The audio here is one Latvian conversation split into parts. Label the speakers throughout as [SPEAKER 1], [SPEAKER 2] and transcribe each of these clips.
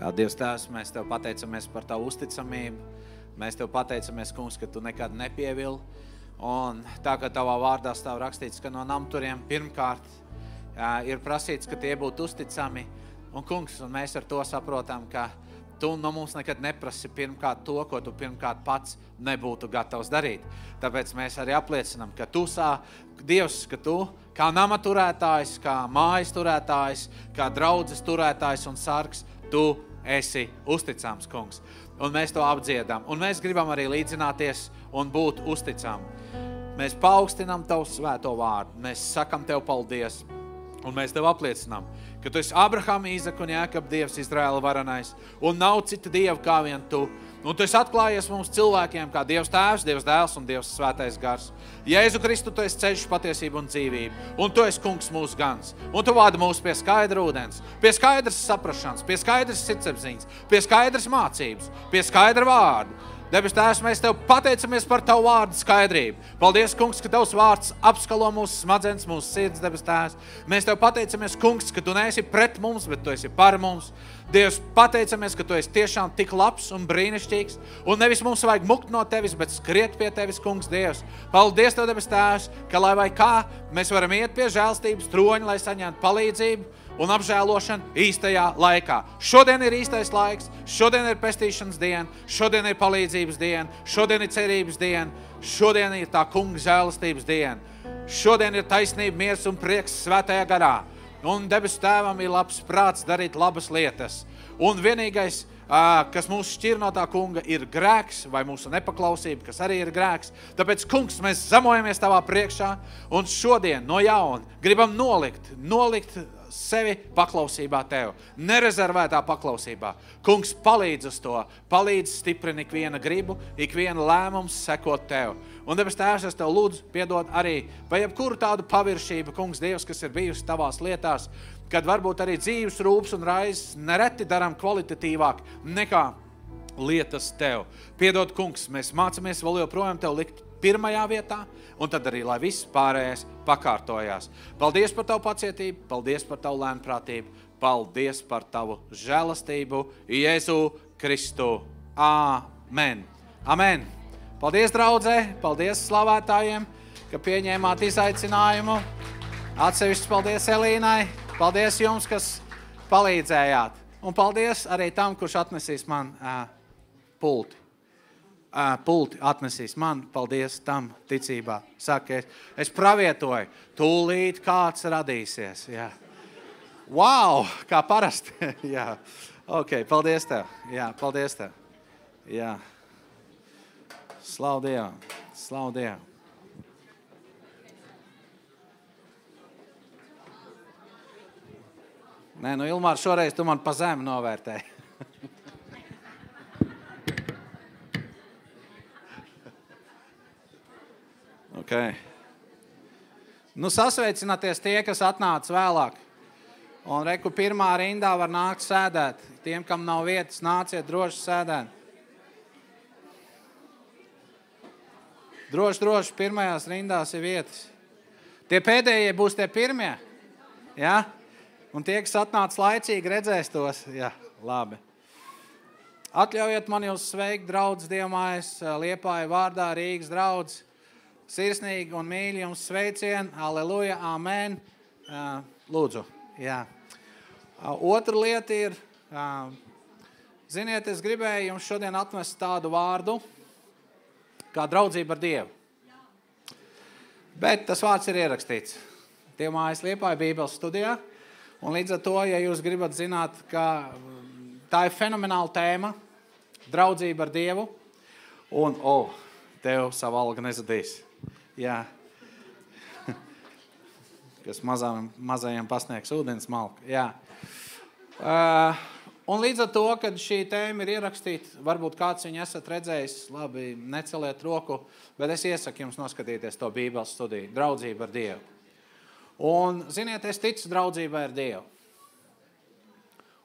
[SPEAKER 1] Jā, Dievs Tēvs, mēs Tev pateicamies par Tavu uzticamību. Mēs Tev pateicamies, Kungs, ka Tu nekad nepievili. Un tā, ka Tavā vārdā stāv rakstīts, ka no namturiem pirmkārt ir prasīts, ka tie būtu uzticami. Un, Kungs, un mēs ar to saprotam, ka Tu no mums nekad neprasi pirmkārt to, ko Tu pirmkārt pats nebūtu gatavs darīt. Tāpēc mēs arī apliecinam, ka Tu Dievs, ka Tu kā nama turētājs, kā mājas turētājs, kā draudzes turētājs un sargs, Tu esi uzticams, Kungs. Un mēs to apdziedam. Un mēs gribam arī līdzināties un būt uzticami. Mēs paaugstinām Tavu svēto vārdu. Mēs sakam Tev paldies. Un mēs Tev apliecinām, ka Tu esi Abrahama, Īzaka un Jākaba Dievs, Izraēla varenais. Un nav cita Dieva kā vien Tu. Un Tu esi atklājies mums cilvēkiem kā Dievs Tēvs, Dievs Dēls un Dievs Svētais Gars. Jēzu Kristu, Tu esi ceļš, patiesība un dzīvība. Un Tu esi Kungs mūsu gans. Un Tu vādi mūs pie skaidra ūdens, pie skaidras saprašanas, pie skaidras sirdsapziņas, pie skaidras mācības, pie skaidra vārdu. Debes Tēvs, mēs Tev pateicamies par Tavu vārdu skaidrību. Paldies, Kungs, ka Tavs vārds apskalo mūsu smadzenes, mūsu sirds, debes Tēvs. Mēs Tev pateicamies, Kungs, ka Tu neesi pret mums, bet Tu esi par mums. Dievs, pateicamies, ka Tu esi tiešām tik labs un brīnišķīgs. Un nevis mums vajag mukt no Tevis, bet skriet pie Tevis, Kungs, Dievs. Paldies Tev, debes Tēvs, ka lai vai kā, mēs varam iet pie žēlstības troņa, lai saņemtu palīdzību un apžēlošanu īstajā laikā. Šodien ir īstais laiks, šodien ir pestīšanas diena, šodien ir palīdzības diena, šodien ir cerības diena, šodien ir tā kunga žēlastības diena. Šodien ir taisnība, miers un prieks svētajā garā. Un debesu Tēvam ir labs prāts darīt labas lietas. Un vienīgais, kas mūs šķir no tā kunga, ir grēks vai mūsu nepaklausība, kas arī ir grēks. Tāpēc, kungs, mēs zemojamies Tavā priekšā un šodien no jauna gribam nolikt sevi paklausībā Tev, nerezervētā paklausībā. Kungs, palīdz uz to, palīdz stiprini ikviena gribu, ikviena lēmums sekot Tev. Un debes Tēvs, es Tev lūdzu piedod arī par jebkuru tādu paviršību, Kungs, Dievs, kas ir bijusi Tavās lietās, kad varbūt arī dzīves rūpes un raizes nereti daram kvalitatīvāk nekā lietas Tev. Piedod, Kungs, mēs mācamies vēl joprojām Tev likt pirmajā vietā, un tad arī, lai viss pārējais pakārtojās. Paldies par Tavu pacietību, paldies par Tavu lēnprātību, paldies par Tavu žēlastību, Jēzu Kristu. Amen. Amen. Paldies, draudzē, paldies slavētājiem, ka pieņēmāt izaicinājumu. Atsevišķi paldies Elīnai, paldies jums, kas palīdzējāt. Un paldies arī tam, kurš atnesīs man pulti. Pulti atnesīs man, paldies tam ticībā. Saka, es pravietoju, tūlīt kāds radīsies. Jā. Wow, kā parasti. Jā. Ok, paldies Tev. Jā, paldies Tev. Jā. Slavu Dievam, slavu Dievam. Nē, nu Ilmār, šoreiz tu man pa zemi novērtēji. Okay. Nu, sasveicināties tie, kas atnāca vēlāk. Un reku pirmā rindā var nākt sēdēt. Tiem, kam nav vietas, nāciet droši sēdēt. Droši, pirmajās rindās ir vietas. Tie pēdējie būs tie pirmie. Ja? Un tie, kas atnāca laicīgi, redzēs tos. Ja, labi. Atļaujiet man jūs sveikt, draudz Dievmājas, Liepāja vārdā, Rīgas draudz. Sirsnīgi un mīļi jums sveicien, aleluja, amen. Lūdzu, jā. Otra lieta ir, ziniet, es gribēju jums šodien atmest tādu vārdu, kā draudzība ar Dievu. Bet tas vārds ir ierakstīts Dievmājas Liepāja Bībeles studijā. Un līdz ar to, ja jūs gribat zināt, ka tā ir fenomenāla tēma, draudzība ar Dievu, un, Tev savu algu nezadīs. Jā. Kas mazajiem pasniegs ūdens malku. Jā. Un līdz ar to, kad šī tēma ir ierakstīta, varbūt kāds viņu esat redzējis, labi, neceliet roku, bet es iesaku jums noskatīties to Bībeles studiju, draudzība ar Dievu. Un, ziniet, es ticu draudzībai ar Dievu.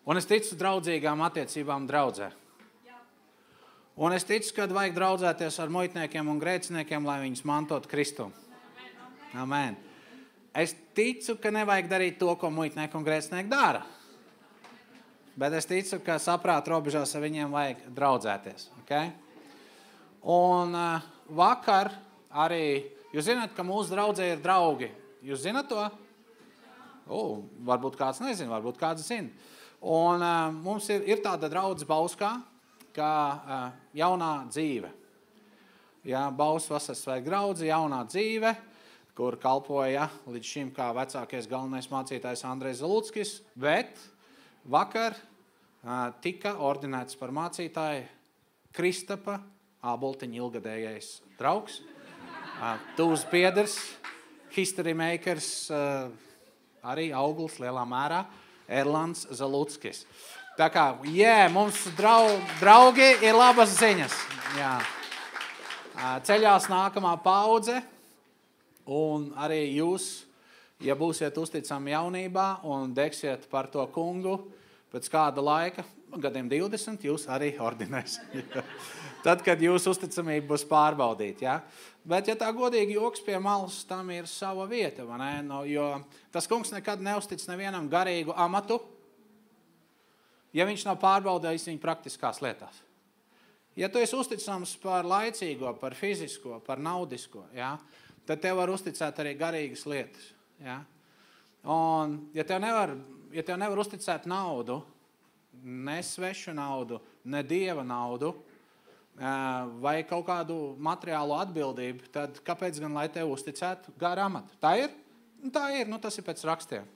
[SPEAKER 1] Un es ticu draudzīgām attiecībām draudzē. Un es ticu, kad vajag draudzēties ar muitniekiem un grēciniekiem, lai viņus mantot Kristu. Amen. Es ticu, ka nevajag darīt to, ko muitnieki un grēcinieki dara. bet es ticu, ka saprāta robežās ar viņiem vajag draudzēties. Okay? Un vakar arī, jūs zināt, ka mūsu draudzē ir draugi. Jūs zināt to? Varbūt kāds nezina, varbūt kāds zina. Un mums ir tāda draudze Bauskā, kā jaunā dzīve. Jā, Bauskas vasaras svētku draudze, jaunā dzīve, kur kalpoja līdz šim kā vecākais galvenais mācītājs Andrejs Zaluckis, bet vakar tika ordinēts par mācītāju Kristapa Āboltiņa ilgadējais draugs, tuvs biedrs, history makers, arī auglis lielā mērā, Erlands Zaluckis. Tā kā, mums draugi ir labas ziņas. Jā. Ceļās nākamā paudze, un arī jūs, ja būsiet uzticami jaunībā un degsiet par to kungu, pēc kāda laika, gadiem 20, jūs arī ordinēs. Tad, kad jūsu uzticamība būs pārbaudīta. Ja? Bet, ja tā godīgi joks pie malas, tam ir sava vieta, vai ne? Jo tas kungs nekad neuztic nevienam garīgu amatu, ja viņš nav pārbaudījis viņu praktiskās lietās. Ja tu esi uzticams par laicīgo, par fizisko, par naudisko, ja? Tad tev var uzticēt arī garīgas lietas. Ja? Un, ja tev nevar uzticēt naudu, ne svešu naudu, ne dieva naudu, vai kaut kādu materiālu atbildību, tad kāpēc gan, lai tev uzticētu garu amatu? Tā ir? Tā ir, tas ir pēc rakstiem.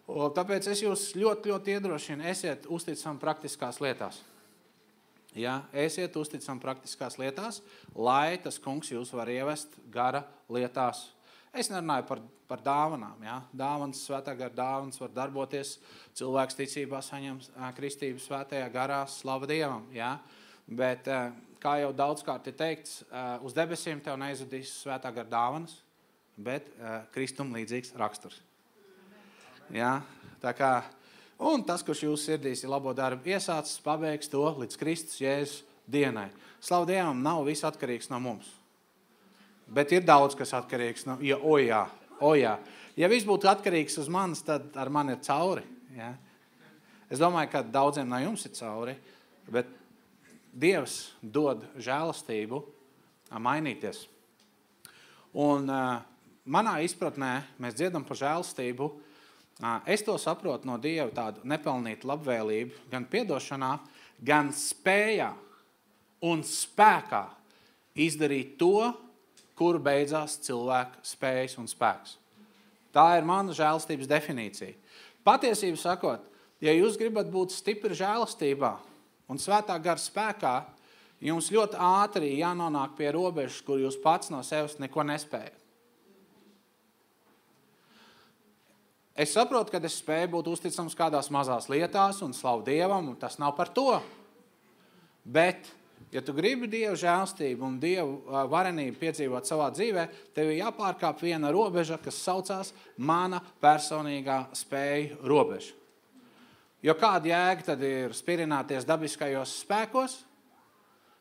[SPEAKER 1] Tāpēc es jūs ļoti, ļoti iedrošinu, esiet uzticami praktiskās lietās. Ja, esiet uzticami praktiskās lietās, lai tas kungs jūs var ievest gara lietās. Es nerunāju par dāvanām. Ja? Dāvanas, svētā gara dāvanas var darboties, cilvēks ticībā saņem kristību svētajā garā, slava Dievam. Ja? Bet, kā jau daudzkārt ir teikts, uz debesīm tev neizudīs svētā gara dāvanas, bet Kristum līdzīgs raksturs. Ja? Tā kā, un tas, kurš jūsu sirdīs ir labo darbu iesācis, pabeigs to līdz Kristus Jēzus dienai. Slavu Dievam, nav viss atkarīgs no mums. Bet ir daudz, kas atkarīgs no... Jā. Ja viss būtu atkarīgs uz manis, tad ar mani ir cauri. Ja? Es domāju, ka daudziem no jums ir cauri, bet Dievs dod žēlastību mainīties. Un manā izpratnē mēs dziedam par žēlastību. Es to saprotu no Dieva tādu nepelnītu labvēlību, gan piedošanā, gan spējā un spēkā izdarīt to, kur beidzās cilvēka spējas un spēks. Tā ir mana žēlastības definīcija. Patiesību sakot, ja jūs gribat būt stipri žēlastībā un svētā gara spēkā, jums ļoti ātri jānonāk pie robežas, kur jūs pats no sevis neko nespējat. Es saprotu, ka es spēju būt uzticams kādās mazās lietās un slavu Dievam, un tas nav par to. Bet, ja tu gribi Dievu žēlstību un Dievu varenību piedzīvot savā dzīvē, tev ir jāpārkāp viena robeža, kas saucās mana personīgā spēju robeža. Jo kāda jēga tad ir spirināties dabiskajos spēkos,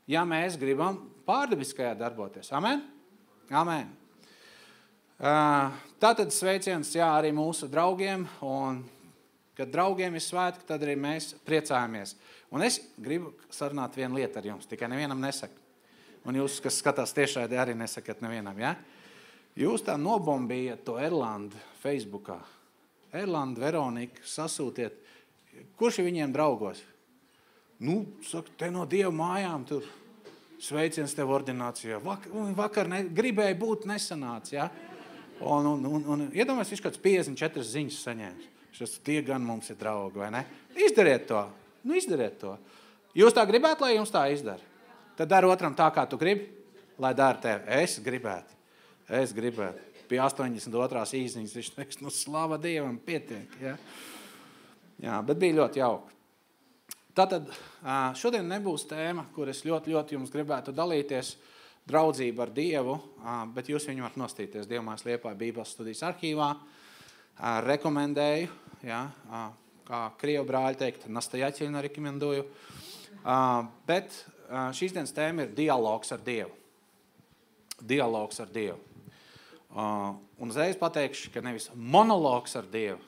[SPEAKER 1] ja mēs gribam pārdabiskajā darboties? Amen? Amen. Tātad sveiciens arī mūsu draugiem, un kad draugiem ir svētki, tad arī mēs priecājamies. Un es gribu sarunāt vienu lietu ar jums, tikai nevienam nesaku. Un jūs, kas skatās tiešraidē, arī nesakat nevienam, ja? Jūs tā nobombījat to Erlandu Facebookā. Erlandu, Veronika, sasūtiet. Kurš ir viņiem draugos? Saka, te no Dieva mājām tur sveiciens tev ordinācijā. Vakar gribēja būt nesanāts, ja? Un iedomājies, viņš kāds 54 ziņas saņēmis. Šis tie gan mums ir draugi, vai ne? Izdariet to. Izdariet to. Jūs tā gribētu, lai jums tā izdara? Tad dari otram tā, kā tu gribi, lai dara tevi. Es gribētu. Pie 82. īziņas viņš teiks, slava Dievam, pietiek, ja? Jā, bet bija ļoti jauki. Tātad šodien nebūs tēma, kur es ļoti, ļoti jums gribētu dalīties, draudzība ar Dievu, bet jūs viņu varat nostīties Dievmājas Liepāja Bībeles studijas arhīvā. Rekomendēju, ja, kā krievu brāļi teikt, nastajaķiļna rekomendoju. Bet šīs dienas tēma ir dialogs ar Dievu. Dialogs ar Dievu. Un uzreiz pateikšu, ka nevis monologs ar Dievu,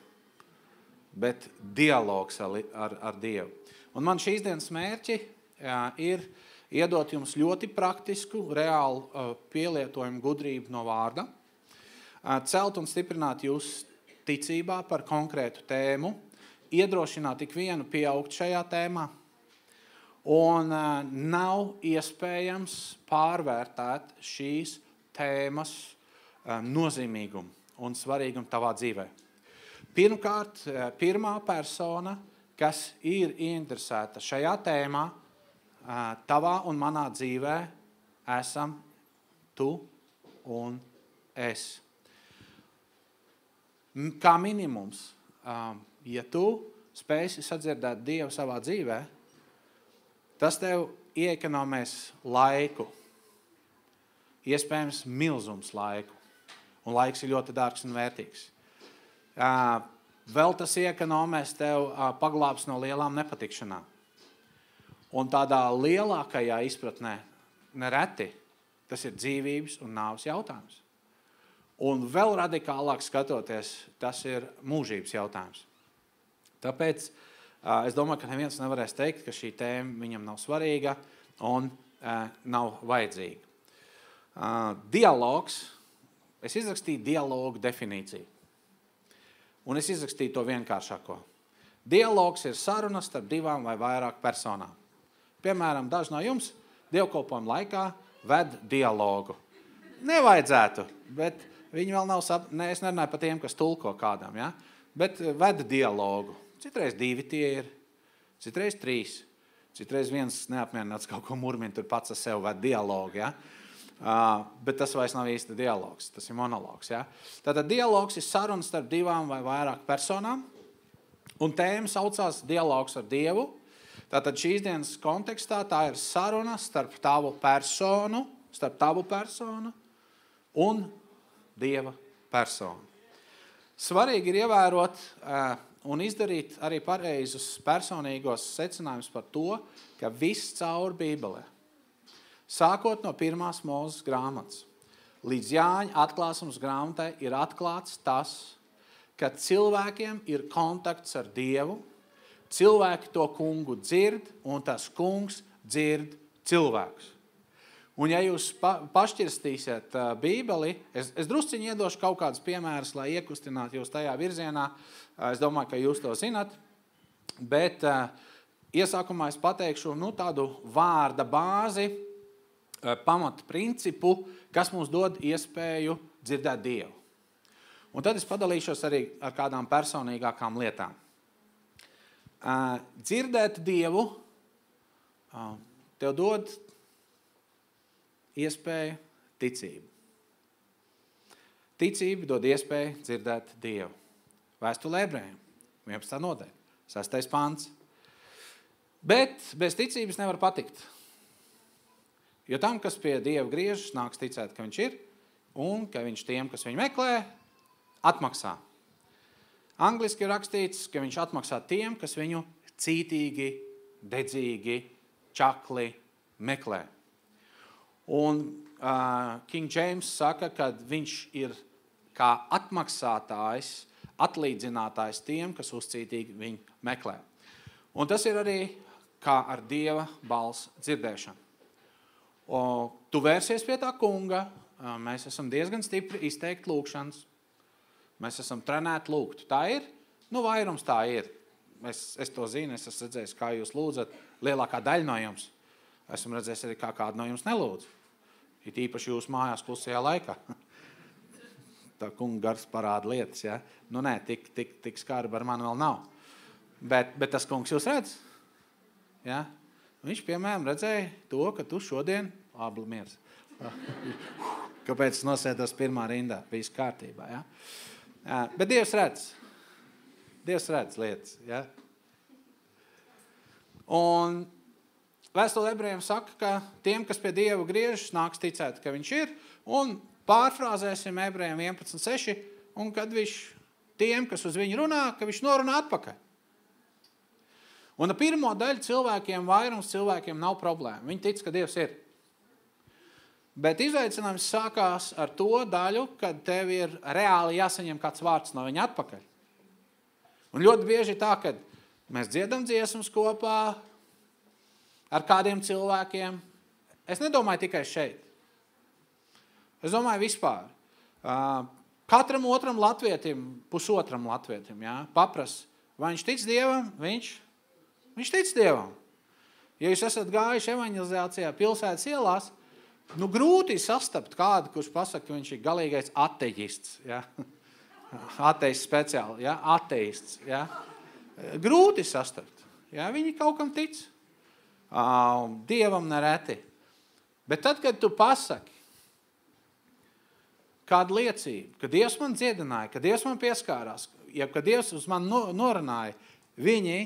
[SPEAKER 1] bet dialogs ar Dievu. Un man šīs dienas mērķi ir iedot jums ļoti praktisku, reālu pielietojumu gudrību no vārda, celt un stiprināt jūs ticībā par konkrētu tēmu, iedrošināt ikvienu pieaugt šajā tēmā, un nav iespējams pārvērtēt šīs tēmas nozīmīgumu un svarīgumu tavā dzīvē. Pirmkārt, pirmā persona, kas ir ieinteresēta šajā tēmā, tavā un manā dzīvē, esam tu un es. Kā minimums, ja tu spēsi sadzirdēt Dievu savā dzīvē, tas tev ieekonomēs laiku, iespējams milzums laiku, un laiks ir ļoti dārgs un vērtīgs. Vēl tas ieekonomēs tev paglābs no lielām nepatikšanām. Un tādā lielākajā izpratnē nereti tas ir dzīvības un nāves jautājums. Un vēl radikālāk skatoties, tas ir mūžības jautājums. Tāpēc es domāju, ka neviens nevarēs teikt, ka šī tēma viņam nav svarīga un nav vajadzīga. Dialogs. Es izrakstīju dialogu definīciju. Un es izrakstīju to vienkāršāko. Dialogs ir saruna starp divām vai vairāk personām. Piemēram, daži no jums dievkalpojuma laikā ved dialogu. Nevajadzētu, bet viņi vēl nav es nerunāju par tiem, kas tulko kādam, ja? Bet ved dialogu. Citreiz 2 tie ir, citreiz 3, citreiz viens neapmierināts kaut ko murmin, tur pats ar sev ved dialogu, ja? Bet tas vairs nav īsti dialogs, tas ir monologs. Ja? Tātad dialogs ir saruna starp divām vai vairāk personām, un tēma saucās dialogs ar Dievu. Tātad šīs dienas kontekstā tā ir saruna starp tavu personu un Dieva personu. Svarīgi ir ievērot un izdarīt arī pareizus personīgos secinājumus par to, ka viss caur Bībelē, sākot no 1. Mūzes grāmatas, līdz Jāņa atklāsums grāmatai ir atklāts tas, ka cilvēkiem ir kontakts ar Dievu, cilvēki to kungu dzird, un tas kungs dzird cilvēkus. Un ja jūs pašķirstīsiet Bībeli, es drusciņi iedošu kaut kādus piemērus, lai iekustinātu jūs tajā virzienā. Es domāju, ka jūs to zinat, bet iesākumā es pateikšu tādu vārda bāzi, pamata principu, kas mums dod iespēju dzirdēt Dievu. Un tad es padalīšos arī ar kādām personīgākām lietām. Dzirdēt Dievu tev dod iespēju ticību. Ticība dod iespēju dzirdēt Dievu. Vēstule Ebrejiem, 11. nodaļa, 6. pants. Bet bez ticības nevar patikt. Jo tam, kas pie Dieva griežas, nāks ticēt, ka viņš ir, un ka viņš tiem, kas viņu meklē, atmaksā. Angliski ir rakstīts, ka viņš atmaksā tiem, kas viņu cītīgi, dedzīgi, čakli meklē. Un King James saka, ka viņš ir kā atmaksātājs, atlīdzinātājs tiem, kas uzcītīgi viņu meklē. Un tas ir arī kā ar Dieva balss dzirdēšanu. Tu vērsies pie tā kunga, mēs esam diezgan stipri izteikt lūkšanas, mēs esam trenēti lūgt. Tā ir? Vairums tā ir. Es to zinu, es esmu redzējis, kā jūs lūdzat, lielākā daļa no jums. Esmu redzējis arī, kā kādu no jums nelūdz. Ir īpaši jūs mājās klusajā laikā. Tā kunga gars parāda lietas, ja? Nē, tik skarba ar mani vēl nav. Bet tas kungs jūs redz? Ja? Viņš, piemēram, redzēja to, ka tu šodien, labi, miers. Kāpēc es nosēdos pirmā rindā? Viss kārtībā, ja? Bet Dievs redz. Dievs redz lietas, ja? Un vēstule Ebrejiem saka, ka tiem, kas pie Dieva griežas, nāks ticēt, ka viņš ir, un pārfrāzēsim Ebrejiem 11.6, un kad viņš tiem, kas uz viņu runā, ka viņš norunā atpakaļ. Un ar pirmo daļu vairums cilvēkiem nav problēma. Viņi tic, ka Dievs ir. Bet izaicinājums sākās ar to daļu, kad tev ir reāli jāsaņem kāds vārds no viņa atpakaļ. Un ļoti bieži tā, ka mēs dziedam dziesmas kopā ar kādiem cilvēkiem. Es nedomāju tikai šeit. Es domāju vispār. Katram otram latvietim, pusotram latvietim, papras, vai viņš tic Dievam, viņš tic Dievam. Ja jūs esat gājuši evanģelizācijā pilsētas ielās, grūti sastapt kādu, kurš pasaka, ka viņš ir galīgais atejists. Ateists speciāli, ateists. Grūti sastapt. Viņi kaut kam tic. Dievam nereti. Bet tad, kad tu pasaki kādu liecību, ka Dievs man dziedināja, ka Dievs man pieskārās, ka Dievs uz man norunāja, viņi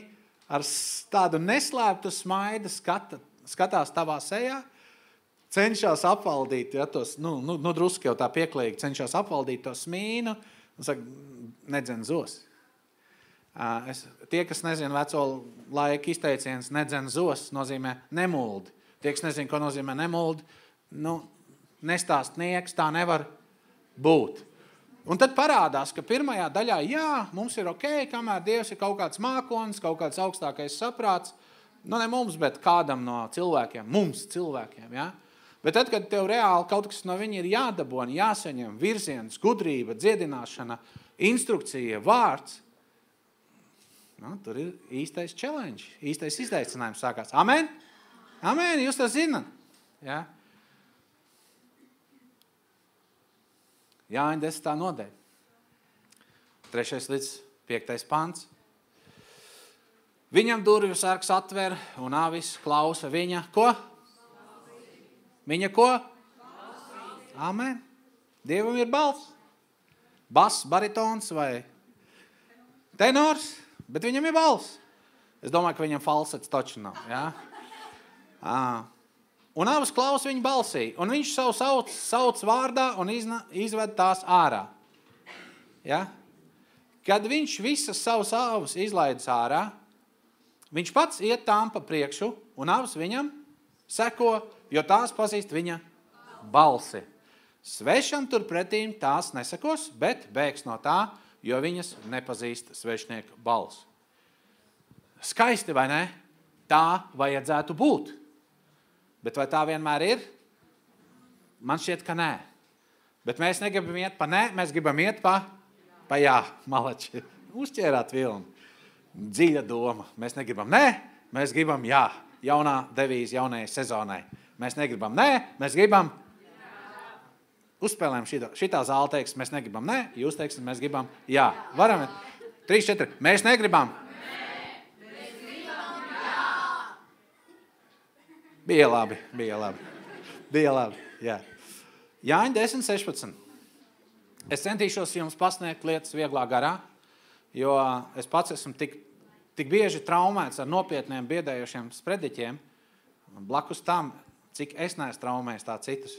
[SPEAKER 1] ar tādu neslēptu smaidu skatās tavā sejā, cenšas apvaldīt, tos, drusku jau tā pieklīgi, cenšas apvaldīt to smīnu, un saka, nedzen zos. Tie, kas nezina veco laiku izteiciens, nedzen zos, nozīmē nemuldi. Tie, kas nezina, ko nozīmē nemuldi, nestāstnieks, tā nevar būt. Un tad parādās, ka pirmajā daļā, mums ir ok, kamēr Dievs ir kaut kāds mākonis, kaut kāds augstākais saprāts, ne mums, bet kādam no cilvēkiem, mums cilvēkiem, Bet tad, kad tev reāli kaut kas no viņa ir jādabona, jāsaņem virziens, gudrība, dziedināšana, instrukcija, vārds, tur ir īstais challenge, īstais izaicinājums sākās. Amen? Amen, jūs to zināt. Jāņa 10. nodaļa. 3. līdz 5. pants. Viņam durvju sargs atver un avis klausa viņa, ko? Viņa ko? Amen. Dievam ir balss. Bass, baritons vai tenors, bet viņam ir balss. Es domāju, ka viņam falsets taču nav. Un avis klausa viņa balsī, un viņš savu sauc vārdā un izved tās ārā. Kad viņš visas savus avus izlaidis ārā, viņš pats iet tām pa priekšu, un avs viņam seko, jo tās pazīst viņa balsi. Svešam turpretīm tās nesekos, bet bēgs no tā, jo viņas nepazīst svešnieku balsi. Skaisti, vai ne? Tā vajadzētu būt. Bet vai tā vienmēr ir? Man šķiet, ka nē. Bet mēs negribam iet pa nē, mēs gribam iet pa jā, malači. Uzķērāt vilni. Dziļa doma. Mēs negribam nē, mēs gribam jā. Jaunā devīze jaunajai sezonai. Mēs negribam nē, mēs gribam uzspēlējam šitā zāle teiks, mēs negribam nē, jūs teiksim, mēs gribam jā. Varam? 3, 4. Mēs negribam. Mēs gribam jā. Bija labi. Jā. Jāņa 10, 16. Es centīšos jums pasniegt lietas vieglā garā, jo es pats esmu tik bieži traumēts ar nopietniem biedējošiem sprediķiem, blakus tam, cik es neesmu traumējis tā citus.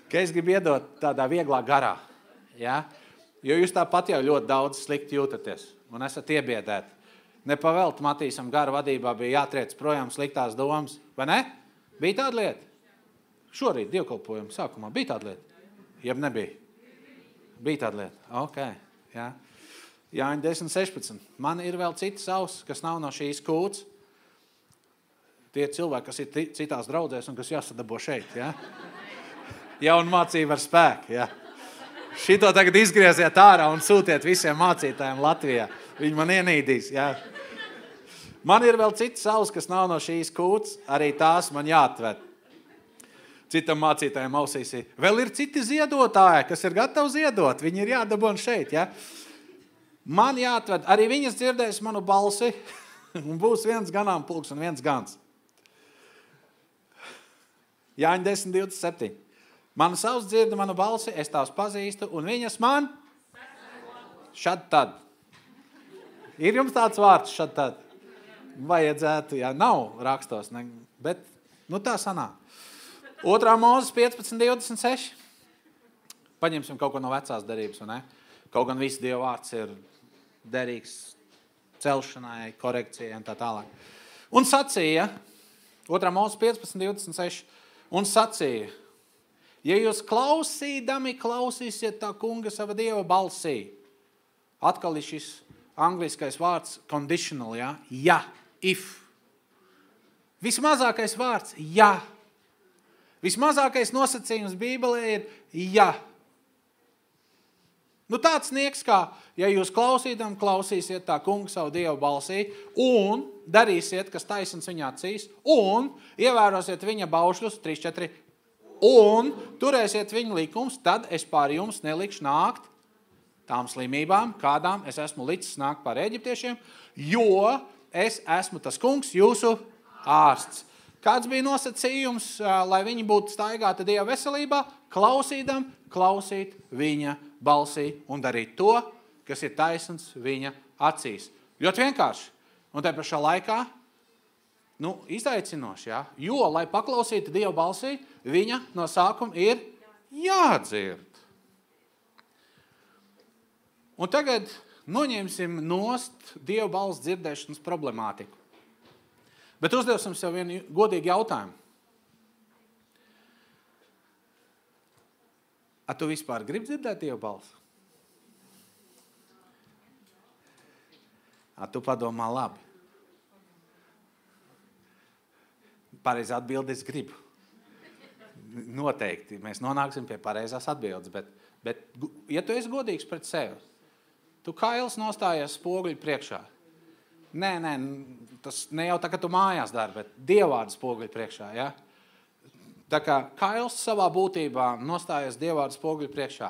[SPEAKER 1] Ka es gribu iedot tādā vieglā garā. Jo jūs tāpat jau ļoti daudz slikti jūtaties un esat iebiedēti. Nepavēlt Matīsam gara vadībā bija jātriec projām sliktās domas, vai ne? Bija tāda lieta? Šorīt dievkalpojumu sākumā bija tāda lieta? Jeb nebija? Bija tāda lieta? Ok, jā. Jāņa 10, 16. Man ir vēl citas auss, kas nav no šīs kūts. Tie cilvēki, kas ir citās draudzēs un kas jāsadabo šeit, jā? Jauna mācība ar spēku, jā. Šito tagad izgrieziet ārā un sūtiet visiem mācītājiem Latvijā. Viņi man ienīdīs, jā. Man ir vēl citas auss, kas nav no šīs kūts, arī tās man jāatved. Citam mācītājiem ausīs ir. Vēl ir citi ziedotāji, kas ir gatavi ziedot. Viņi ir jādabon šeit, jā. Man jāatved, arī viņas dzirdēs manu balsi, un būs viens ganāmpulks un viens gans. Jāņa 10, 27. Mana savs dzirda manu balsi, es tās pazīstu, un viņas man šad tad. Ir jums tāds vārds šad tad? Vajadzētu, jā, nav rakstos, ne, bet tā sanāk. 2. Mūzes 15, 26. Paņemsim kaut ko no vecās derības, vai ne? Kaut gan viss Dieva vārds ir derīgs celšanai, korekcijai un tā tālāk. Un sacīja, 2. Mūzes 15, 26, un sacīja, ja jūs klausīdami klausīsiet tā kunga sava Dieva balsī, atkal ir šis angliskais vārds conditional, ja? Ja, if. Vismazākais vārds, ja. Vismazākais nosacījums Bībelē ir ja. Nu tāds nieks kā, ja jūs klausīsiet tā kunga savu Dievu balsī un darīsiet, kas taisns viņa acīs, un ievērosiet viņa baušļus, 3, 4, un turēsiet viņa likums, tad es pār jums nelikšu nākt tām slimībām, kādām es esmu licis nākt pār eģiptiešiem, jo es esmu tas kungs, jūsu ārsts. Kāds bija nosacījums, lai viņi būtu staigāti Dieva veselībā? Klausīt viņa balsī un darīt to, kas ir taisns viņa acīs. Ļoti vienkārši. Un te pašā laikā, izaicinoši, ja? Jo, lai paklausītu Dieva balsī, viņa no sākuma ir jādzird. Un tagad noņemsim nost Dieva balss dzirdēšanas problemātiku. Bet uzdevsim sev vienu godīgu jautājumu. A tu vispār gribi dzirdēt Dieva balsu? A tu padomā labi. Pareizā atbilde es gribu. Noteikti. Mēs nonāksim pie pareizās atbildes. Bet ja tu esi godīgs pret sevi, tu kails nostājies spoguļu priekšā. Nē, tas ne jau tā, ka tu mājās dari, bet Dievvārdu spoguļu priekšā, ja? Tā kā kails savā būtībā nostājies Dievvārdu spoguļu priekšā.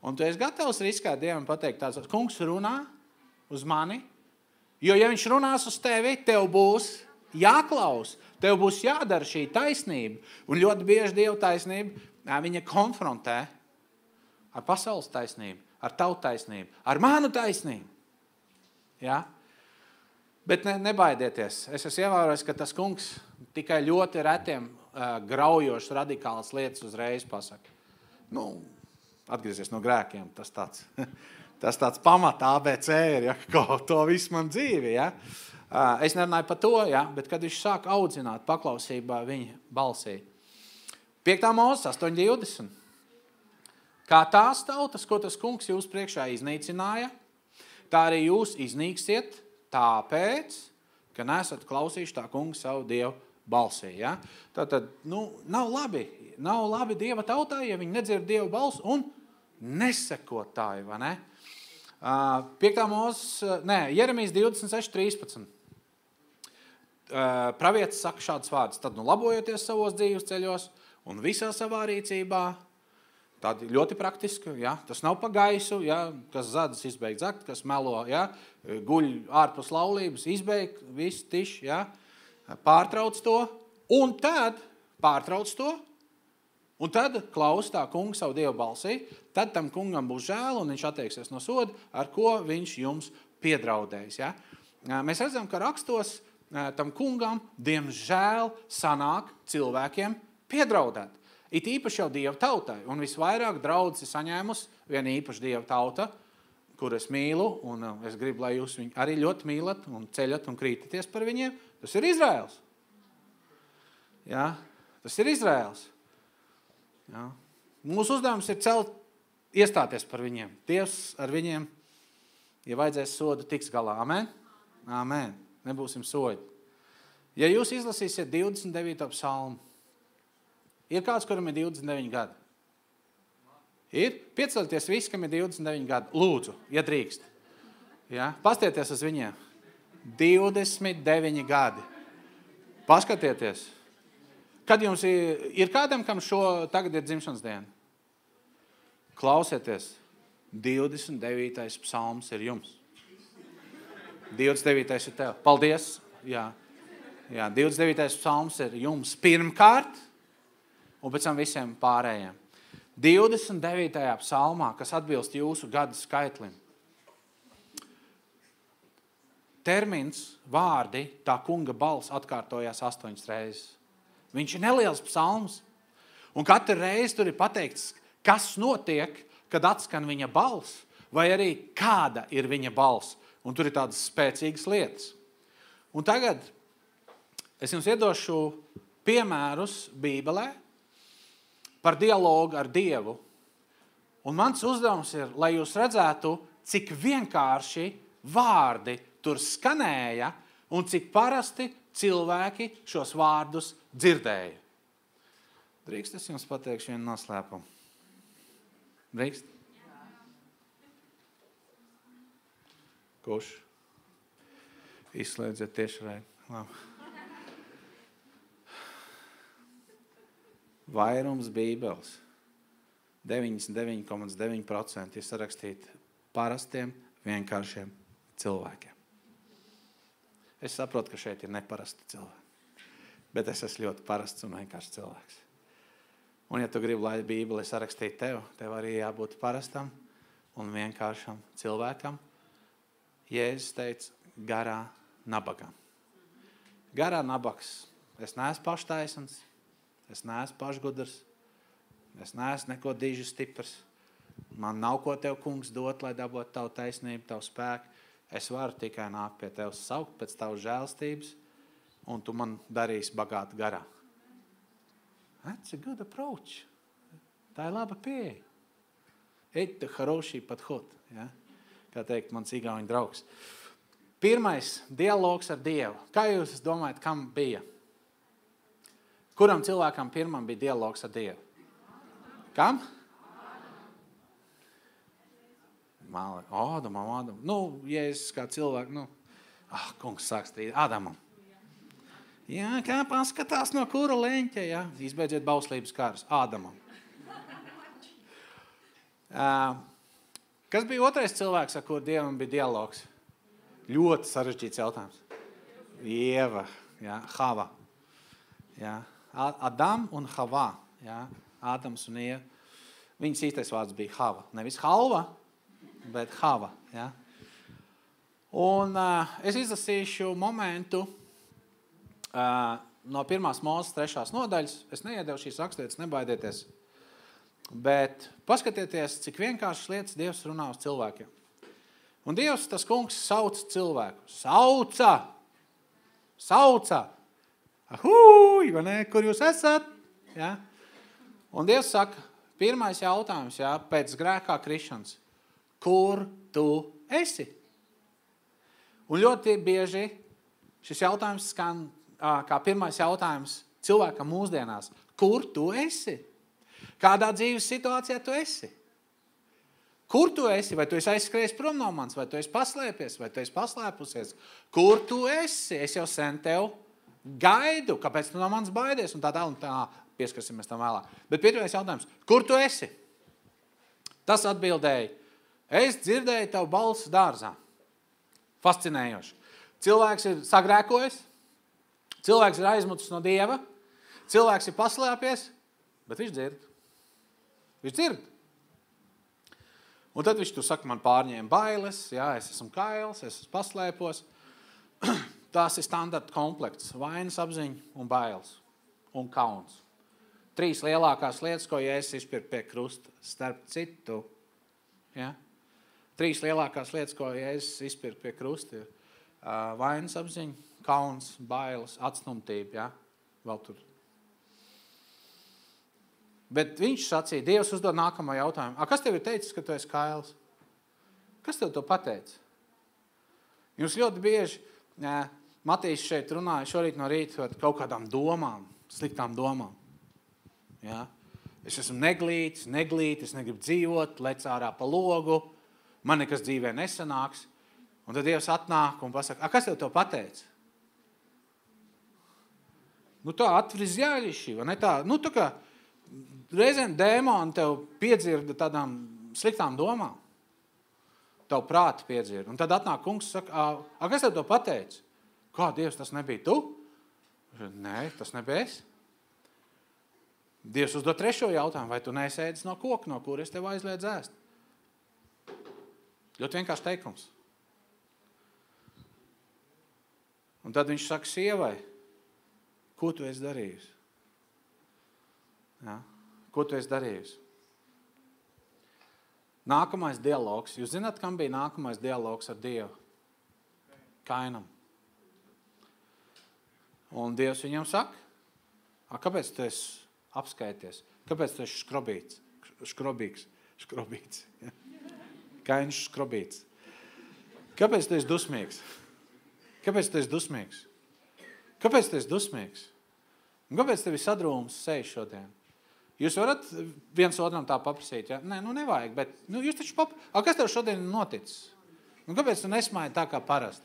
[SPEAKER 1] Un tu esi gatavs riskēt Dievam pateikt tāds, kungs runā uz mani, jo ja viņš runās uz tevi, tev būs jāklaus, tev būs jādara šī taisnība. Un ļoti bieži Dieva taisnība viņa konfrontē ar pasaules taisnību, ar tavu taisnību, ar manu taisnību. Ja? Bet nebaidieties. Es esmu ievērojis, ka tas kungs tikai ļoti retiem graujošas radikālas lietas uzreiz pasaka. Atgriezies no grēkiem, tas tāds pamatā ABC ir, ja, to visu man dzīvi, ja. Es nerunāju par to, ja, bet kad viņš sāk audzināt paklausībā viņa balsī. 5. Mūzes 8:20. Kā tās tautas, ko tas kungs jūs priekšā iznīcināja, tā arī jūs iznīksiet tāpēc, ka nesat klausījuši tā kunga savu Dievu balsī. Ja? Tātad, nav labi Dieva tautai, ja viņi nedzird Dievu balsu un nesekotāji, vai ne? 5. Mūzes, Jeremijas 26:13. Pravietis saka šāds vārds, tad labojoties savos dzīves ceļos un visā savā rīcībā, tādi ļoti praktiski, ja? Tas nav pa gaisu, ja? Kas zadas izbeigt zakt, kas melo, ja? Guļ ārpus laulības, izbeigt, viss tiši, ja? Pārtrauc to, un tad klaus tā kunga savu Dievu balsī, tad tam kungam būs žēl, un viņš atteiksies no soda, ar ko viņš jums piedraudējis. Ja? Mēs redzam, ka rakstos tam kungam, diemžēl, sanāk cilvēkiem piedraudēt. It īpaši jau Dieva tautai, un visvairāk draudzi saņēmus viena īpaši Dieva tauta, kur es mīlu, un es gribu, lai jūs viņu arī ļoti mīlat, un ceļat un krītaties par viņiem, tas ir Izraēls. Ja? Tas ir Izraēls. Ja? Mūsu uzdevums ir iestāties par viņiem. Dievs ar viņiem, ja vajadzēs sodu, tiks galā. Amen? Amen. Nebūsim sodi. Ja jūs izlasīsiet 29. psalmu, ir kāds, kuram ir 29 gadi? Ir? Piecelieties visi, kam ir 29 gadi. Lūdzu, ja drīkst. Ja? Pastieties uz viņiem. 29 gadi. Paskatieties. Kad jums ir kādam, kam tagad ir dzimšanas diena? Klausieties. 29. psalms ir jums. 29. ir tev. Paldies. Jā. 29. psalms ir jums pirmkārt, un pēc tam visiem pārējiem. 29. psalmā, kas atbilst jūsu gadu skaitlim. Termins, vārdi, tā kunga balss atkārtojās 8 reizes. Viņš ir neliels psalms, un katru reizi tur ir pateikts, kas notiek, kad atskan viņa balss, vai arī kāda ir viņa balss, un tur ir tādas spēcīgas lietas. Un tagad es jums iedošu piemērus Bībelē, par dialogu ar Dievu. Un mans uzdevums ir, lai jūs redzētu, cik vienkārši vārdi tur skanēja un cik parasti cilvēki šos vārdus dzirdēja. Drīkst es jums pateikšu vienu noslēpumu? Drīkst? Kurš? Izslēdziet tiešraidi. Labi. Vairums bībeles, 99,9% ir sarakstīti parastiem, vienkāršiem cilvēkiem. Es saprotu, ka šeit ir neparasti cilvēki, bet es esmu ļoti parasts un vienkāršs cilvēks. Un ja tu gribi, lai Bībeli sarakstītu tev arī jābūt parastam un vienkāršam cilvēkam. Jēzus teica, garā nabagam. Garā nabags. Es neesmu paštaisns, es neesmu pašgudrs, es neesmu neko diži stiprs. Man nav ko tev, kungs, dot, lai dabot tavu taisnību, tavu spēku. Es varu tikai nākt pie tev saukt pēc tavu žēlstības, un tu man darīsi bagātu garā. That's a good approach. Tā ir laba pieeja. Это хороший подход, ja? Kā teikt mans igauņu draugs. Pirmais dialogs ar Dievu. Kā jūs domājat, kam bija? Kuram cilvēkam pirmam bija dialogs ar Dievu? Kam? Ādamam. Jēzus kā cilvēku, kungs sāk strīdēt. Ādamam. Jā, kā paskatās no kura leņķa, jā. Izbeidziet bauslības kārus. Ādamam. Kas bija otrais cilvēks, ar kuru Dievam bija dialogs? Ļoti sarežģīts jautājums. Ieva, jā, Hava. Jā. Adam un Hava. Jā. Ādams un Ieva. Viņas īstais vārds bija Hava. Nevis Halva, bet Hava. Jā. Un es izlasīšu momentu no 1. Mūzes 3. nodaļas. Es neiedevu šīs raksturietas, nebaidieties. Bet paskatieties, cik vienkāršas lietas Dievs runā uz cilvēkiem. Un Dievs, tas kungs, sauc cilvēku. Sauca. Ahūj, vai ne? Kur jūs esat? Ja? Un Dievs saka, pirmais jautājums, ja, pēc grēkā krišanas. Kur tu esi? Un ļoti bieži šis jautājums skan kā pirmais jautājums cilvēkam mūsdienās. Kur tu esi? Kādā dzīves situācijā tu esi? Kur tu esi? Vai tu esi aizskrējis prom no manis? Vai tu esi paslēpies? Vai tu esi paslēpusies? Kur tu esi? Es jau sen tev gaidu. Kāpēc tu no manis baidies? Un tā pieskarsimies tam vēlāk. Bet pirmais jautājums. Kur tu esi? Tas atbildēja. Es dzirdēju tavu balsi dārzā. Fascinējoši. Cilvēks ir sagrēkojis. Cilvēks ir aizmutis no Dieva. Cilvēks ir paslēpies. Bet viņš dzird. Viņš dzird. Un tad viņš tu saka, man pārņēma bailes, jā, es esmu kails, es esmu paslēpos. Tās ir standarta komplekts. Vainas apziņa un bailes. Un kauns. 3 lielākās lietas, ko Jēzus izpirka pie krusta, starp citu. Ja? 3 lielākās lietas, ko Jēzus izpirka pie krusta, ir vainas apziņa, kauns, bailes, atstumtība. Ja? Vēl tur. Bet viņš sacīja, Dievs uzdod nākamo jautājumu. Kas tev ir teicis, ka tu esi kails? Kas tev to pateica? Jūs ļoti bieži, Matīs šeit runāja šorīt no rīta par kaut kādām domām, sliktām domām. Ja? Es esmu neglīts, es negribu dzīvot, lec ārā pa logu, man nekas dzīvē nesanāks. Un tad Dievs atnāk un pasaka, kas tev to pateica? Tā atveris jāļiši, vai ne tā? Tā kā reizēm dēmoni tev piedzirda tādām sliktām domām. Tev prāti piedzirda. Un tad atnāk kungs un saka, kas tev to pateica? Kā, Dievs, tas nebija tu? Nē, tas nebija es. Dievs uzdod 3. jautājumu, vai tu nesēdis no koka, no kur es tev aizliedzu ēst? Ļoti vienkārši teikums. Un tad viņš saka sievai, ko tu esi darījusi? Ja? Ko tu esi darījusi? Nākamais dialogs. Jūs zināt, kam bija nākamais dialogs ar Dievu? Kainam. Un Dievs viņam saka, kāpēc tu esi apskaities? Kāpēc tu esi Skrobīgs? Ja? Kains skrobīts. Kāpēc tu esi dusmīgs? Kāpēc tu esi dusmīgs? Kāpēc tu esi dusmīgs? Un kāpēc tev ir sadrūms sejas šodien? Jūs varat viens otram tā paprasīt, ja? Nē, nu nevajag, bet jūs taču kas tev šodien ir noticis? Un kāpēc tu nesmāji tā kā parasti?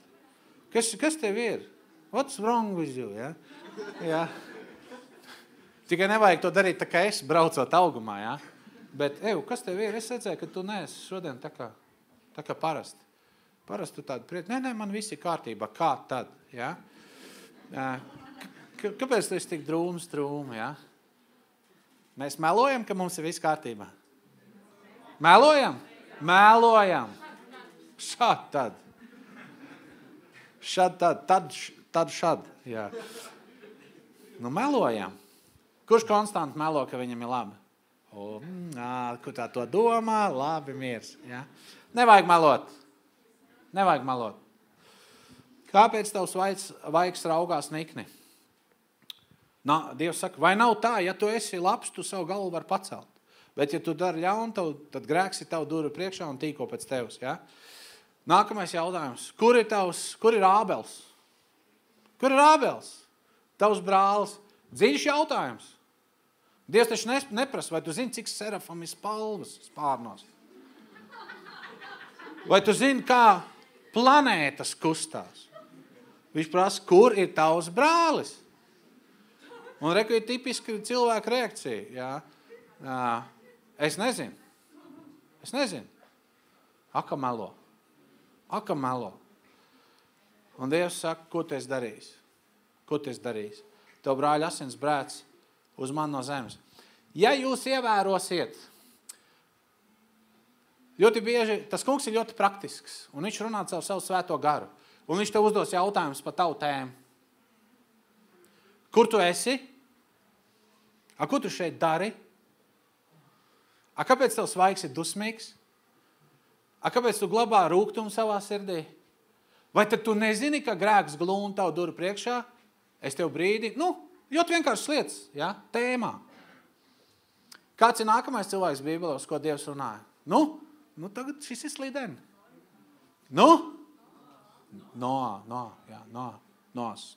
[SPEAKER 1] Kas tev ir? What's wrong with you, ja? Ja. Tikai nevajag to darīt tā kā es, braucot augumā, ja? Bet, kas tev ir? Es redzēju, ka tu neesi šodien tā kā parasti. Parasti tu tādu priet. Nē, man viss ir kārtībā. Kā tad, ja? Kāpēc tu esi tik drūmi, ja? Mēs melojam, ka mums ir viss kārtībā. Melojam? Melojam. Šād tad. Tad šād. Jā. Nu, melojam. Kurš konstanti melo, ka viņam ir labi? Kur tā to domā? Labi, miers. Ja? Nevajag melot. Nevajag melot. Kāpēc tavs vaigs raugās nikni? Dievs saka, vai nav tā, ja tu esi labs, tu savu galvu var pacelt. Bet ja tu dari ļaunu, tad grēks ir tavu duru priekšā un tīko pēc tevs. Ja? Nākamais jautājums. Kur ir Ābels? Kur ir Ābels? Tavs brālis. Dziļš jautājums. Dievs taču neprasa, vai tu zini, cik serafam ir spalvas spārnos? Vai tu zini, kā planētas kustās? Viņš prasa, kur ir tavs brālis? Un reku ir tipiski cilvēka reakcija. Jā. Es nezinu. Aka melo. Un Dievs saka, ko tu esi darījis? Tev brāļa asins brēc uz mani no zemes. Ja jūs ievērosiet, ļoti bieži, tas kungs ir ļoti praktisks, un viņš runā caur savu svēto garu, un viņš tev uzdos jautājumus par tavu tēmu. Kur tu esi? Ko tu šeit dari? Kāpēc tavs vaigs ir dusmīgs? Kāpēc tu glabā rūgtumu savā sirdī? Vai tad tu nezini, ka grēks glūna tavu duru priekšā? Es tev brīdi, ļoti vienkāršas lietas, ja? Tēmā. Kāds ir nākamais cilvēks Bībelē, uz ko Dievs runāja? Tagad šis ir slideni. Noas.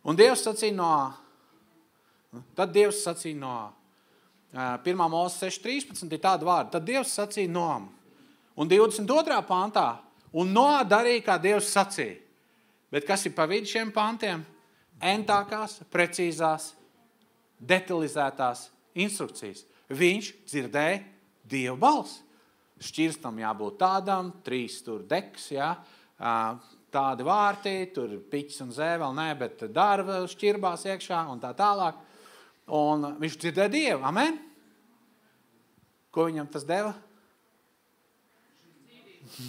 [SPEAKER 1] Un Dievs sacīja Noā. Tad Dievs sacīja Noā. 1. Mūzes 6.13 ir tāda vārda. Tad Dievs sacīja Noam. Un 22. pantā. Un Noā darīja, kā Dievs sacīja. Bet kas ir pa vidu šiem pantiem? Entākās, precīzās, detalizētās instrukcijas. Viņš dzirdēja Dievu balsi. Šķirstam jābūt tādam, 3 tur deks, ja? Tādi vārti, tur piķis un zē, vēl ne, bet darba šķirbās iekšā un tā tālāk. Un viņš dzirdēja Dievu, amen? Ko viņam tas deva?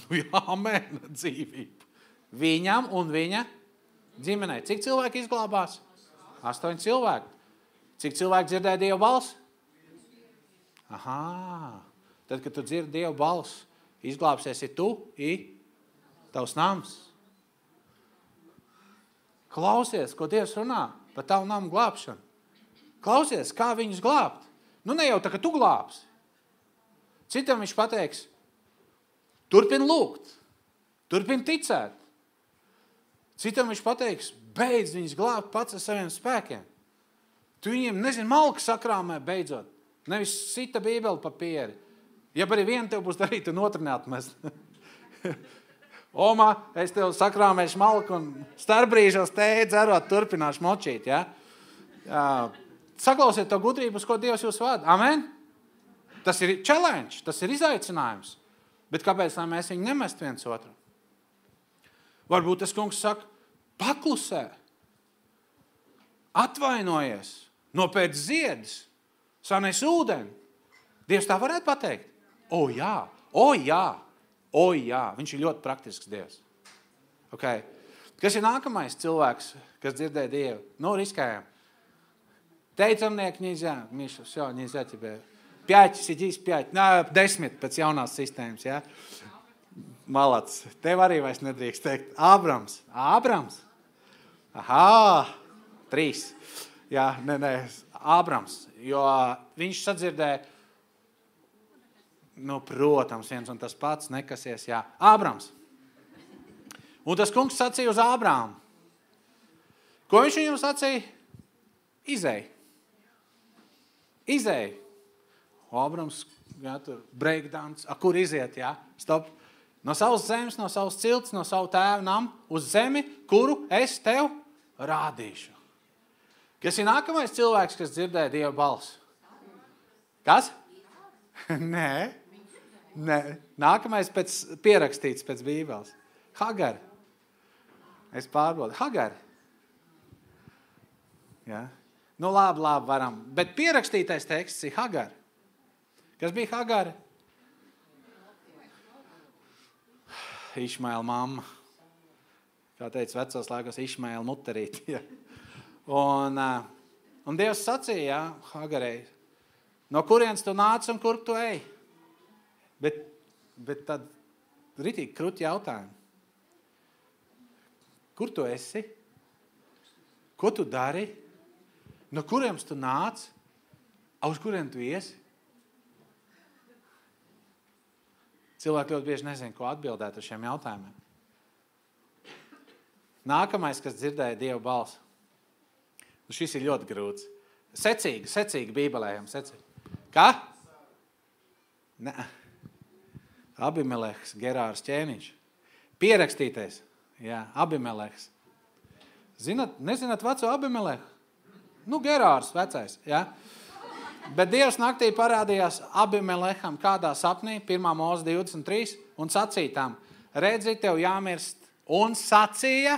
[SPEAKER 1] Jā, amen, dzīvību. Viņam un viņa ģimenei. Cik cilvēki izglābās? 8 cilvēki. Cik cilvēki dzirdēja Dievu balsi? Tad, kad tu dzirdi Dievu balsi, izglābsies tu, tavs nams. Klausies, ko Dievs runā par tavu namu glābšanu. Klausies, kā viņus glābt. Ne jau tā, ka tu glābsi. Citam viņš pateiks, turpin lūgt, turpin ticēt. Citam viņš pateiks, beidz viņus glābt pats ar saviem spēkiem. Tu viņiem, malku sakrāmē beidzot. Nevis sita Bībeli papīri. Ja arī vienu tev būs darīt, un otru neatmest. Oma, es tev sakrāmēšu malku un starpbrīžos tēju dzerot, turpināšu močīt. Ja? Saklausiet to gudrību, uz ko Dievs jūs vada. Amen? Tas ir challenge, tas ir izaicinājums. Bet kāpēc lai mēs viņu nemest viens otru? Varbūt tas kungs saka, paklusē, atvainojies, nopēc ziedus, sanes ūdeni. Dievs tā varētu pateikt? O jā, viņš ir ļoti praktisks Dievs. Okay. Kas ir nākamais cilvēks, kas dzirdēja Dievu? Riskējam. Teicamnieki нельзя тебе. 5 сидись, 5. 10 pēc jaunās sistēmas, ja? Malac. Tev arī vairs nedrīkst teikt. Ābrams. 3. Jā, Ābrams. Jo viņš sadzirdēja, protams, viens un tas pats nekasies, jā. Ābrams. Un tas kungs sacīja uz Ābrāmu. Ko viņš viņam sacīja? Izej. Ābrams, jā, tur breakdance. Kur iziet, jā? Stop. No savas zemes, no savas cilts, no savu tēvu namu uz zemi, kuru es tev rādīšu. Kas ir nākamais cilvēks, kas dzirdēja Dieva balsi? Kas? Nē. Nākamais pierakstīts pēc Bībeles. Hagar. Es pārbaudu. Hagar. Jā. Nu labi, varam. Bet pierakstītais teksts ir Hagar. Kas bija Hagar? Išmaela mamma. Kā teica vecos laikos, Išmaela muterīt. Ja. Un Dievs sacīja, jā, Hagarei, no kurienes tu nāc un kur tu ej? Bet tad ritīgi krūti jautājumu. Kur tu esi? Ko tu dari? No kuriem tu nāc? Uz kuriem tu iesi? Cilvēki ļoti bieži nezina, ko atbildēt uz šiem jautājumiem. Nākamais, kas dzirdēja Dieva balsi. Šis ir ļoti grūts. Secīgi bībelējam, secīgi. Kā? Nē. Abimelehs, Gerārs ķēniņš. Pierakstītais. Jā, Abimelehs. Nezināt veco Abimelehu? Nu, Gerārs vecais, jā. Bet Dievs naktī parādījās Abimeleham kādā sapnī, 1. Mūzes 23, un sacīja tam, redzi, tev jāmirst, un sacīja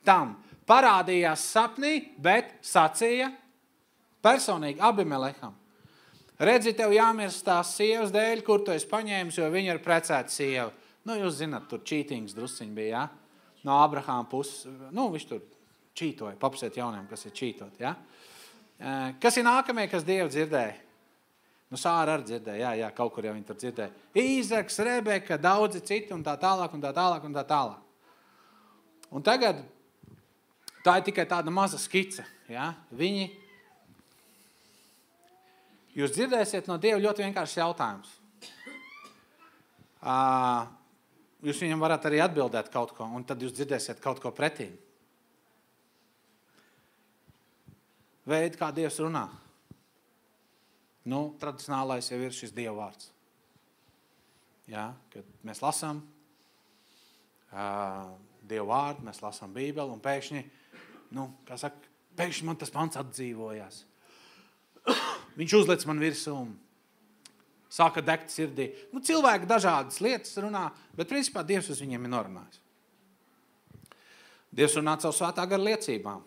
[SPEAKER 1] tam. Parādījās sapnī, bet sacīja personīgi Abimeleham. Redzi, tev jāmirst tās sievas dēļ, kur tu esi paņēmis, jo viņa ir precēta sieva. Nu, jūs zināt, tur čītings drusciņi bija, jā? No Abrahāma puses, viņš tur čītoja, papasiet jauniem, kas ir čītot, jā? Kas ir nākamie, kas Dievu dzirdēja? Sāra arī dzirdēja, jā, kaut kur jau viņi tur dzirdēja. Īzaks, Rebeka, daudzi citi un tā tālāk, un tā tālāk, un tā tālāk. Un tagad tā ir tikai tāda maza skice, jā? Jūs dzirdēsiet no Dieva ļoti vienkāršs jautājums. Jūs viņam varat arī atbildēt kaut ko, un tad jūs dzirdēsiet kaut ko pretī. Veidi, kā Dievs runā. Tradicionālais jau ir šis Dieva vārds. Jā, kad mēs lasām Dieva vārdu, mēs lasām Bībeli, un pēkšņi, pēkšņi man tas pants atdzīvojās. Viņš uzlec man virsū un sāka degt sirdī. Cilvēki dažādas lietas runā, bet principā Dievs uz viņiem ir norunājis. Dievs runā caur svētā gara liecībām.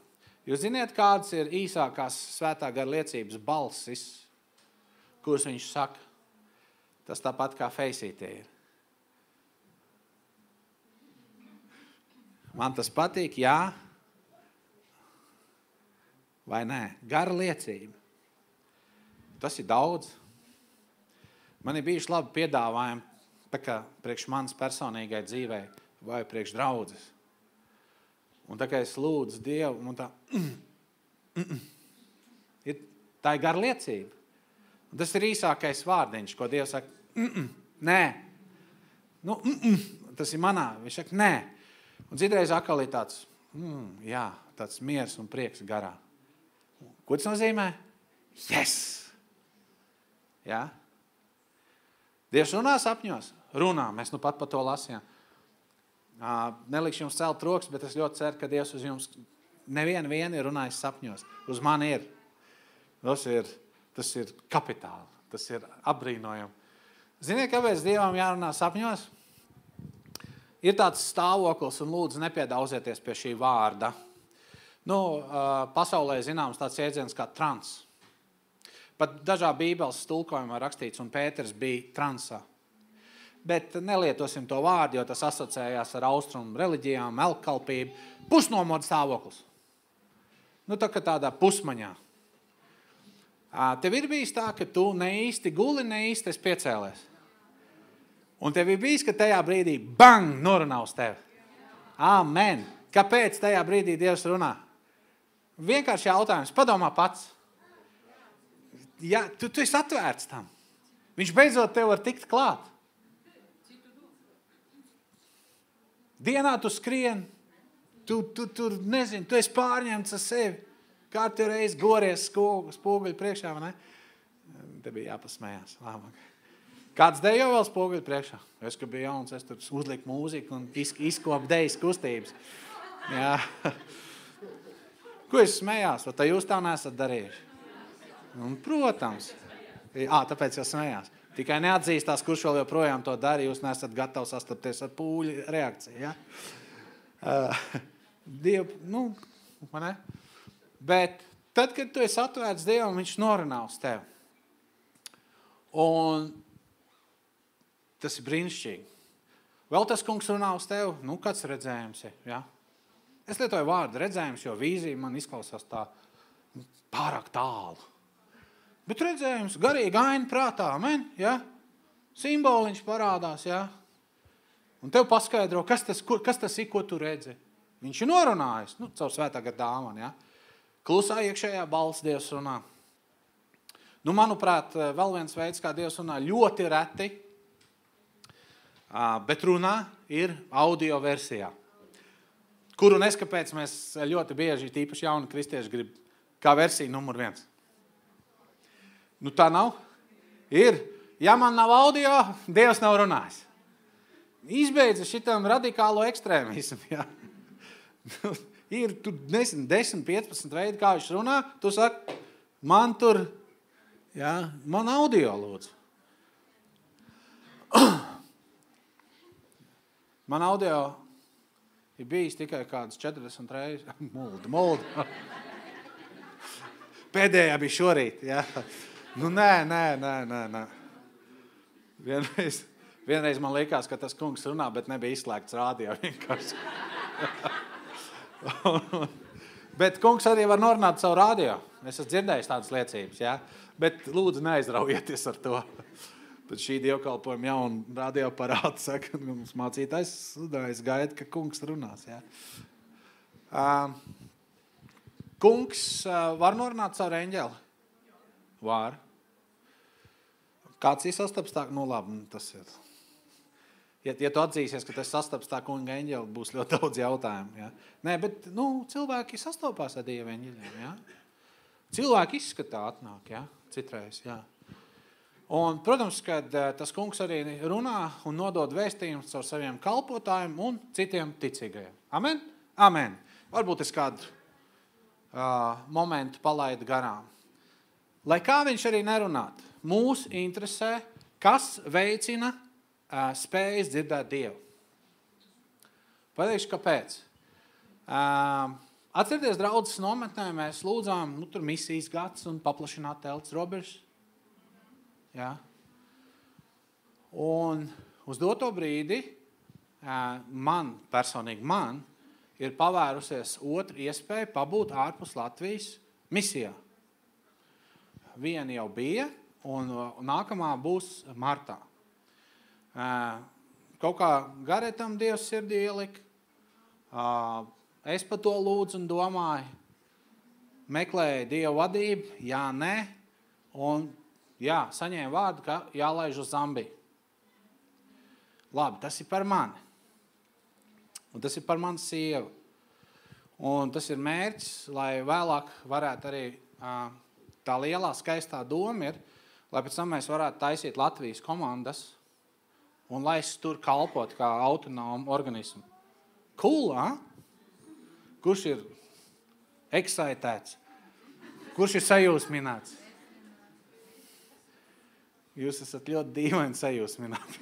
[SPEAKER 1] Jūs ziniet, kādas ir īsākās svētā gara liecības balsis, kuras viņš saka? Tas tāpat kā feisītie ir. Man tas patīk, jā? Vai nē? Gara liecība. Tas ir daudz. Man ir bijuši labi piedāvājumi, tā kā priekš manas personīgai dzīvei vai priekš draudzes. Un tā kā es lūdzu Dievu, un tā ir gara liecība. Un tas ir īsākais vārdiņš, ko Dievs saka, nē. Tas ir manā. Viņš saka, nē. Un citreiz atkal ir tāds, jā, tāds miers un prieks garā. Ko tas nozīmē? Yes! Jā? Dievs runā sapņos? Runā. Mēs pat par to lasījām. Nelikšu jums celt rokas, bet es ļoti ceru, ka Dievs uz jums nevienu ir runājis sapņos. Uz mani ir. Tas ir kapitāli. Tas ir apbrīnojami. Ziniet, kāpēc Dievam jārunā sapņos? Ir tāds stāvoklis, un lūdzu nepiedauzieties pie šī vārda. Pasaulē zināms tāds jēdziens kā trans. Pat dažā Bībeles tulkojumā rakstīts, un Pēters bija transā. Bet nelietosim to vārdu, jo tas asociējās ar austrumu reliģijām, elkkalpību. Pusnomodu stāvoklis. Tādā pusmaņā. Tev ir bijis tā, ka tu ne īsti guli, ne īsti esi piecēlies. Un tev ir bijis, ka tajā brīdī bang, norunā uz tevi. Amen. Kāpēc tajā brīdī Dievs runā? Vienkārši jautājums. Padomā pats. Ja, tu esi atvērts tam. Viņš beidzot tev var tikt klāt. Dienā tu skrien, tu nezini, tu esi pārņemts ar sevi. Kārtu reizi gories spoguļu priekšā, vai ne? Te bija jāpasmējās. Kāds dejo vēl spoguļu priekšā? Es, ka biju jauns, es tur uzliku mūziku un izkopu dejas kustības. Jā. Ko es smējās? Vai tā jūs tā nesat darījuši? Un, protams. Tāpēc jau smējās. Tikai neatzīstās, kurš vēl joprojām to dara, jūs nesat gatavi sastapties ar pūļu reakciju. Ja? Dievu, vai ne? Bet tad, kad tu esi atvērts Dievam, viņš norunā uz tevi. Un tas ir brīnišķīgi. Vēl tas kungs runā uz tevi, kāds redzējums ir, ja? Es lietoju vārdu redzējums, jo vīzija man izklausās tā pārāk tālu. Bet redzējums, garīgi aina prātā, amen, ja? Simboliņš parādās, ja? Un tev paskaidro, kas tas ir, ko tu redzi. Viņš ir norunājis, caur svētā gara dāvanu, ja? Klusā iekšējā balss Dievs runā. Manuprāt, vēl viens veids, kā Dievs runā ļoti reti, bet runā ir audio versijā. Kuru neskapēc mēs ļoti bieži, tīpaši jauni kristieši, grib kā versija numur 1. Tā nav. Ir. Ja man nav audio, Dievs nav runājis. Izbeidza šitam radikālo ekstrēmismu. Ja? Ir, tu nezinu, 10-15 veidi, kā viņš runā. Tu saki, man tur, ja, man audio lūdzu. Man audio ir bijis tikai kādas 40 reizes. Mulda. Pēdējā bija šorīt, ja. Nē. Vienreiz man likās, ka tas kungs runā, bet nebija izslēgts rādio vienkārši. Bet kungs arī var norunāt savu rādio. Es esmu dzirdējis tādas liecības, ja. Bet lūdzu neaizraujieties ar to. Bet šī dievkalpojuma jauna radioparāta saka, mums mācītājs gaida, ka kungs runās, ja. Kungs var norunāt savu eņģeli? Var. Kāds ir sastaps tā? Labi, tas ir. Ja tu atzīsies, ka tas sastaps tā kunga eņģeli, būs ļoti daudz jautājumu. Ja? Nē, bet cilvēki sastopās ar Dieva eņģeļiem. Ja? Cilvēki izskatā atnāk, ja? Citreiz. Ja? Un, protams, kad tas kungs arī runā un nodod vēstījumus caur saviem kalpotājiem un citiem ticīgajiem. Amen? Amen. Varbūt es kādu momentu palaidu garām. Lai kā viņš arī nerunātu, mūs interesē, kas veicina spējas dzirdēt Dievu. Pateikšu, kāpēc. Atcerieties, draudzes nometnē mēs lūdzām, tur misijas gads un paplašināt telts robežas. Ja? Un uz doto brīdi personīgi man, ir pavērusies otra iespēja pabūt ārpus Latvijas misijā. Viena jau bija, un nākamā būs martā. Kaut kā garetam Dievs sirdī ielika. Es par to lūdzu un domāju. Meklēju Dievu vadību, jā, nē. Un jā, saņēmu vārdu, ka jālaiž uz Zambiju. Labi, tas ir par mani. Un tas ir par manu sievu. Un tas ir mērķis, lai vēlāk varētu arī tā lielā skaistā doma ir, lai pēc tam mēs varētu taisīt Latvijas komandas un lai es tur kalpot kā autonomu organismu. Cool, ha? Kurš ir excitēts? Kurš ir sajūsmināts? Jūs esat ļoti dīvaini sajūsmināti.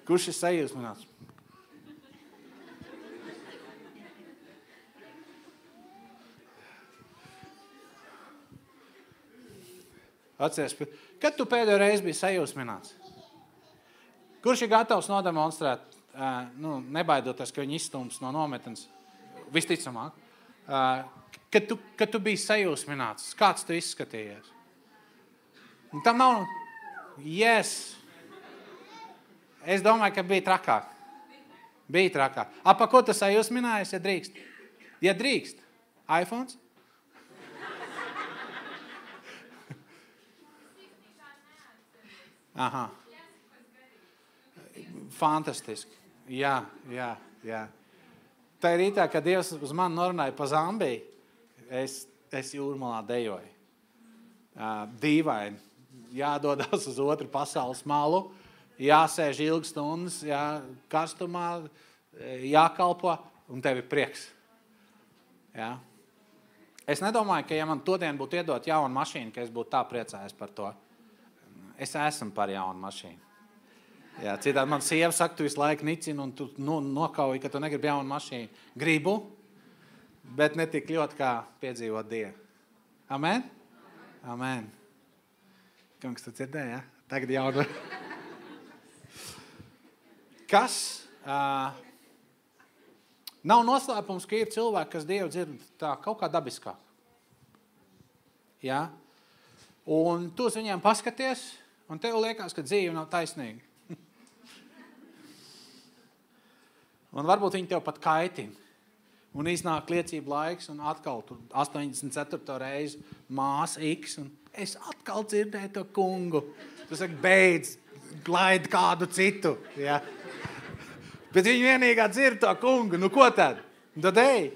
[SPEAKER 1] Kurš ir sajūsmināts? Atceries, kad tu pēdējo reizi biji sajūsmināts? Kurš ir gatavs nodemonstrēt, nebaidoties, ka viņi izstums no nometnes, visticamāk, kad tu biji sajūsmināts, kāds tu izskatījies? Un tam nav, yes. Es domāju, ka bija trakāk. Bija trakāk. Pa ko tu sajūsminājies, ja drīkst? Ja drīkst, iPhones? Aha. Fantastiski. Jā. Tā rītā, kad Dievs uz mani norunāja pa Zambiju, es jūrmalā dejoju. Dīvaini. Jādodas uz otru pasaules malu, jāsēž ilgas stundas, karstumā, jākalpo, un tev ir prieks. Jā. Es nedomāju, ka ja man todien būtu iedot jaunu mašīnu, ka es būtu tā priecājies par to. Es esmu par jaunu mašīnu. Jā, citādi man sieva saka, tu visu laiku nicini un tu nokauji, ka tu negribi jaunu mašīnu. Gribu, bet ne tik ļoti, kā piedzīvot Dievu. Amen? Amen. Kungs, tu dzirdēji, ja? Tagad jaunu. Kas? Nav noslēpums, ka ir cilvēki, kas Dievu dzird tā kaut kā dabiskāk. Ja? Un tu uz viņiem paskaties, un tev liekas, ka dzīve nav taisnīga. Un varbūt viņi tev pat kaitina. Un iznāk liecība laiks, un atkal 84. reizi māsa X, un es atkal dzirdēju to kungu. Tu saki, beidz, glaidi kādu citu. Ja? Bet viņi vienīgā dzird to kungu. Nu ko tad? Tad ej.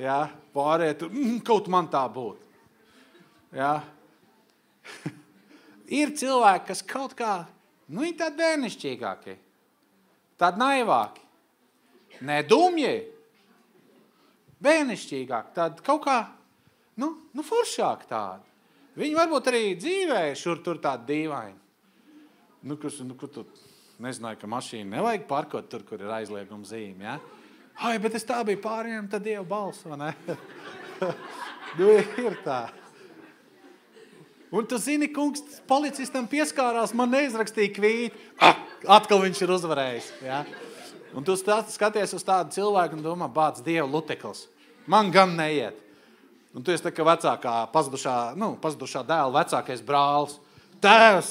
[SPEAKER 1] Ja? Pārēt, kaut man tā būtu. Ja? Ir cilvēki, kas kaut kā, viņi tādi bērnišķīgāki. Tādi naivāki. Ne dumji. Bērnišķīgāk. Tādi kaut kā, foršāk tādi. Viņi varbūt arī dzīvē šur tur tādi dīvaini. Kur tu nezināji, ka mašīnu nevajag parkot tur, kur ir aizlieguma zīme, ja? Ai, bet es tā biju pārējiem, tad Dieva balss, vai ne? Ir tā. Un tu zini, kungs, policistam pieskārās, man neizrakstīja kvīti. Atkal viņš ir uzvarējis, ja? Un tu skaties uz tādu cilvēku un domā, bāc, Dieva lutekls. Man gan neiet. Un tu esi tā kā vecākā, pazudušā dēla vecākais brālis. Tēvs,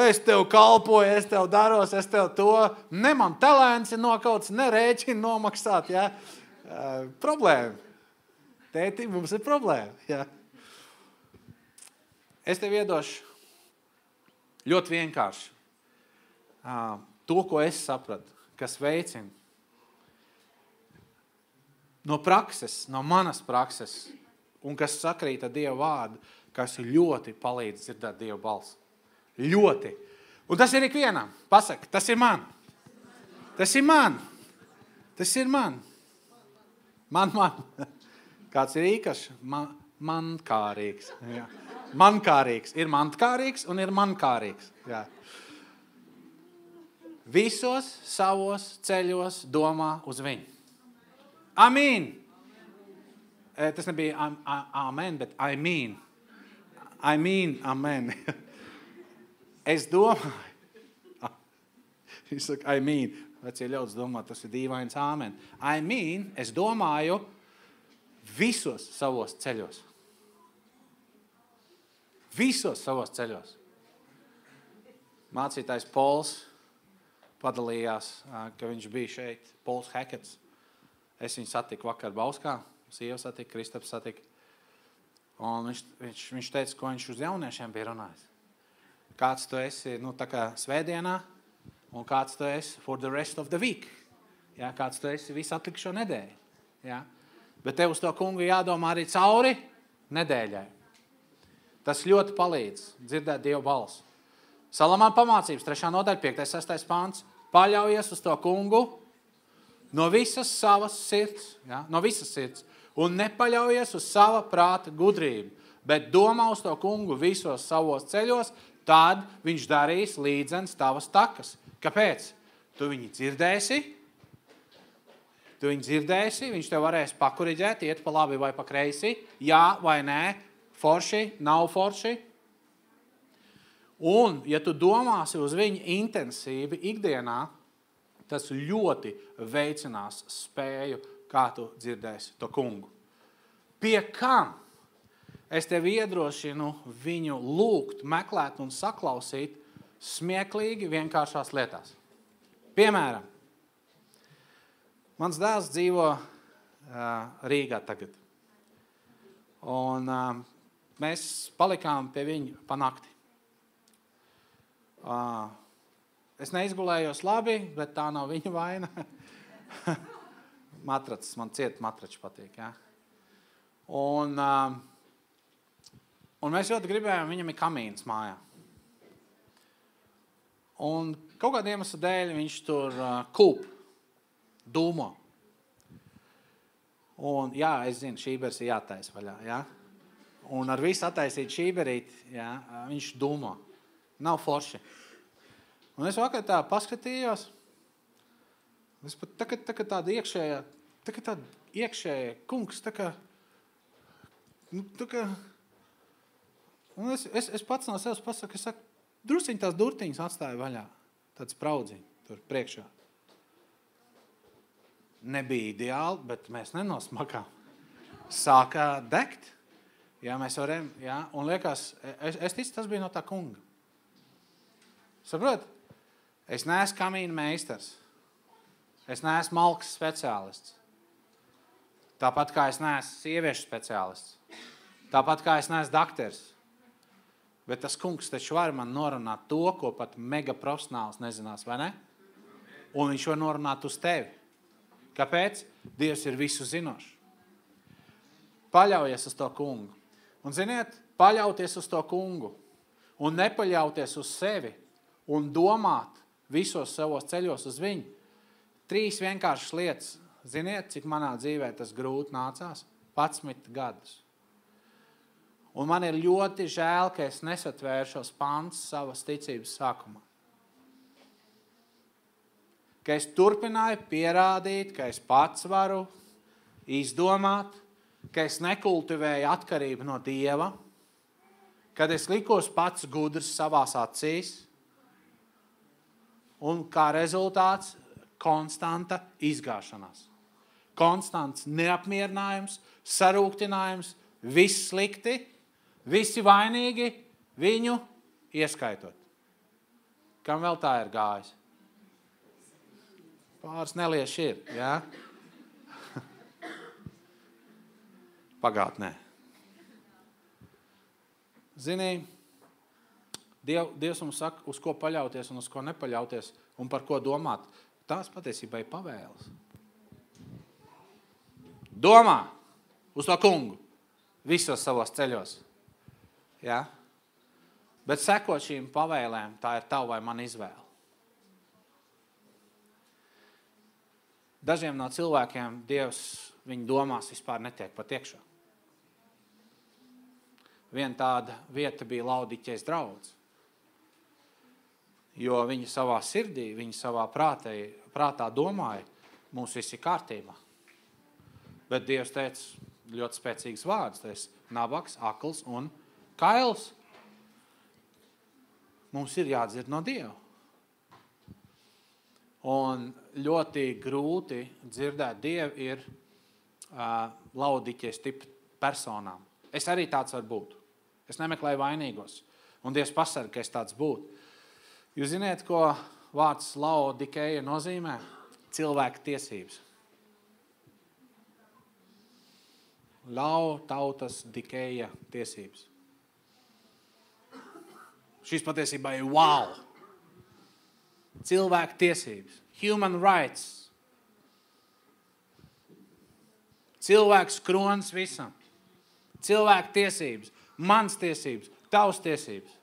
[SPEAKER 1] es tev kalpoju, es tev daros, es tev to. Ne man talents ir nokauts, ne rēķini nomaksāt, ja? Problēma. Tēti, mums ir problēma, ja? Es tev iedošu ļoti vienkārši to, ko es sapratu, kas veicina no prakses, no manas prakses, un kas sakrīt ar Dieva vārdu, kas ļoti palīdz dzirdēt Dieva balsi. Ļoti. Un tas ir ikvienam. Pasaka, tas ir man. Tas ir man. Tas ir man. Man. Kāds ir īpašs? Mankārīgs. Jā. Mankārīgs. Ir mantkārīgs un ir mankārīgs. Jā. Visos savos ceļos domā uz viņu. Amīn. Tas nebija amen, bet I mean. Amen. Es domāju. Viņš saka, I mean. Vecie ļaudis domā, tas ir dīvains amen. I mean, es domāju visos savos ceļos. Visos savos ceļos. Mācītājs Pols padalījās, ka viņš bija šeit, Pols Hekets. Es viņu satiku vakar Bauskā, sieva satika, Kristaps satika. Un viņš teica, ko viņš uz jauniešiem bija runājis. Kāds tu esi, tā kā svētdienā, un kāds tu esi for the rest of the week. Ja, kāds tu esi visu atlikušo nedēļu. Ja. Bet tev uz to kungu jādomā arī cauri nedēļai. Tas ļoti palīdz dzirdēt Dieva balsu. Salamāna pamācības, 3. nodaļa, 5. 6. pāns. Paļaujies uz to kungu no visas savas sirds, ja? No visas sirds. Un nepaļaujies uz sava prāta gudrību, bet domā uz to kungu visos savos ceļos, tad viņš darīs līdzens tavas takas. Kāpēc? Tu viņu dzirdēsi, viņš tev varēs pakuriģēt, iet pa labi vai pa kreisi, jā vai nē, forši, nav forši. Un, ja tu domāsi uz viņu intensīvi ikdienā, tas ļoti veicinās spēju, kā tu dzirdēsi to kungu. Pie kam es tev iedrošinu viņu lūgt, meklēt un saklausīt smieklīgi vienkāršās lietās. Piemēram, mans dēls dzīvo Rīgā tagad. Un mēs palikām pie viņa pa nakti. es neizgulējos labi, bet tā nav viņa vaina. Matracis, man ciet matrači patīk, jā. Un mēs ļoti gribējām, viņam ir kamīns mājā. Un kaut kādu iemeslu dēļ viņš tur kūp, dūmo. Un jā, es zinu, šībers ir jātais vaļā, jā. Un ar visu attaisīt šīberīt, jā, viņš dūmo. Nav forši. Un es vakar tā paskatījos, es pat tāda iekšējā kungs, un es pats no sevis pasaku, es saku, drusciņ tās durtiņas atstāju vaļā, tāds spraudziņ tur priekšā. Nebija ideāli, bet mēs nenosmakām. Sākā degt, jā, mēs varam, jā, un liekas, es ticu, tas bija no tā kunga. Saprot? Es neesmu kamīna meistars. Es neesmu malkas speciālists. Tāpat kā es neesmu sieviešu speciālists. Tāpat kā es neesmu dakters. Bet tas kungs taču var man norunāt to, ko pat mega profesionāls nezinās, vai ne? Un viņš var norunāt uz tevi. Kāpēc? Dievs ir visu zinošs. Paļaujies uz to kungu. Un ziniet, paļauties uz to kungu un nepaļauties uz sevi un domāt visos savos ceļos uz viņu. 3 vienkāršas lietas. Ziniet, cik manā dzīvē tas grūti nācās? 11 gadus. Un man ir ļoti žēl, ka es nesatvēru šos pants savas ticības sākumā. Ka es turpināju pierādīt, ka es pats varu izdomāt, ka es nekultivēju atkarību no Dieva, kad es likos pats gudrs savās acīs, un kā rezultāts konstanta izgāšanās. Konstants neapmierinājums, sarūktinājums, viss slikti, visi vainīgi, viņu ieskaitot. Kam vēl tā ir gājis? Pāris nelieši ir, jā? Pagātnē. Zini, Dievs mums saka, uz ko paļauties un uz ko nepaļauties un par ko domāt. Tās patiesībā ir pavēles. Domā uz to kungu visos savos ceļos. Ja? Bet sekot šīm pavēlēm, tā ir tava vai man izvēle. Dažiem no cilvēkiem Dievs viņu domās vispār netiek pat iekšā. Viena tāda vieta bija Laodiķejas draudze. Jo viņi savā sirdī, viņi savā prātā domāja, mums viss ir kārtībā. Bet Dievs teica ļoti spēcīgs vārds, teica, nabaks, akls un kails. Mums ir jādzird no Dieva. Un ļoti grūti dzirdēt Dievu ir Laodiķejas tipa personām. Es arī tāds var būt. Es nemeklēju vainīgos. Un Dievs pasarga, ka es tāds būtu. Jūs ziniet, ko vārds Laodikeja nozīmē? Cilvēka tiesības. Tautas dikeja tiesības. Šis patiesībā ir wow. Cilvēka tiesības. Human rights. Cilvēks kronis visam. Cilvēka tiesības. Mans tiesības. Tavs tiesības.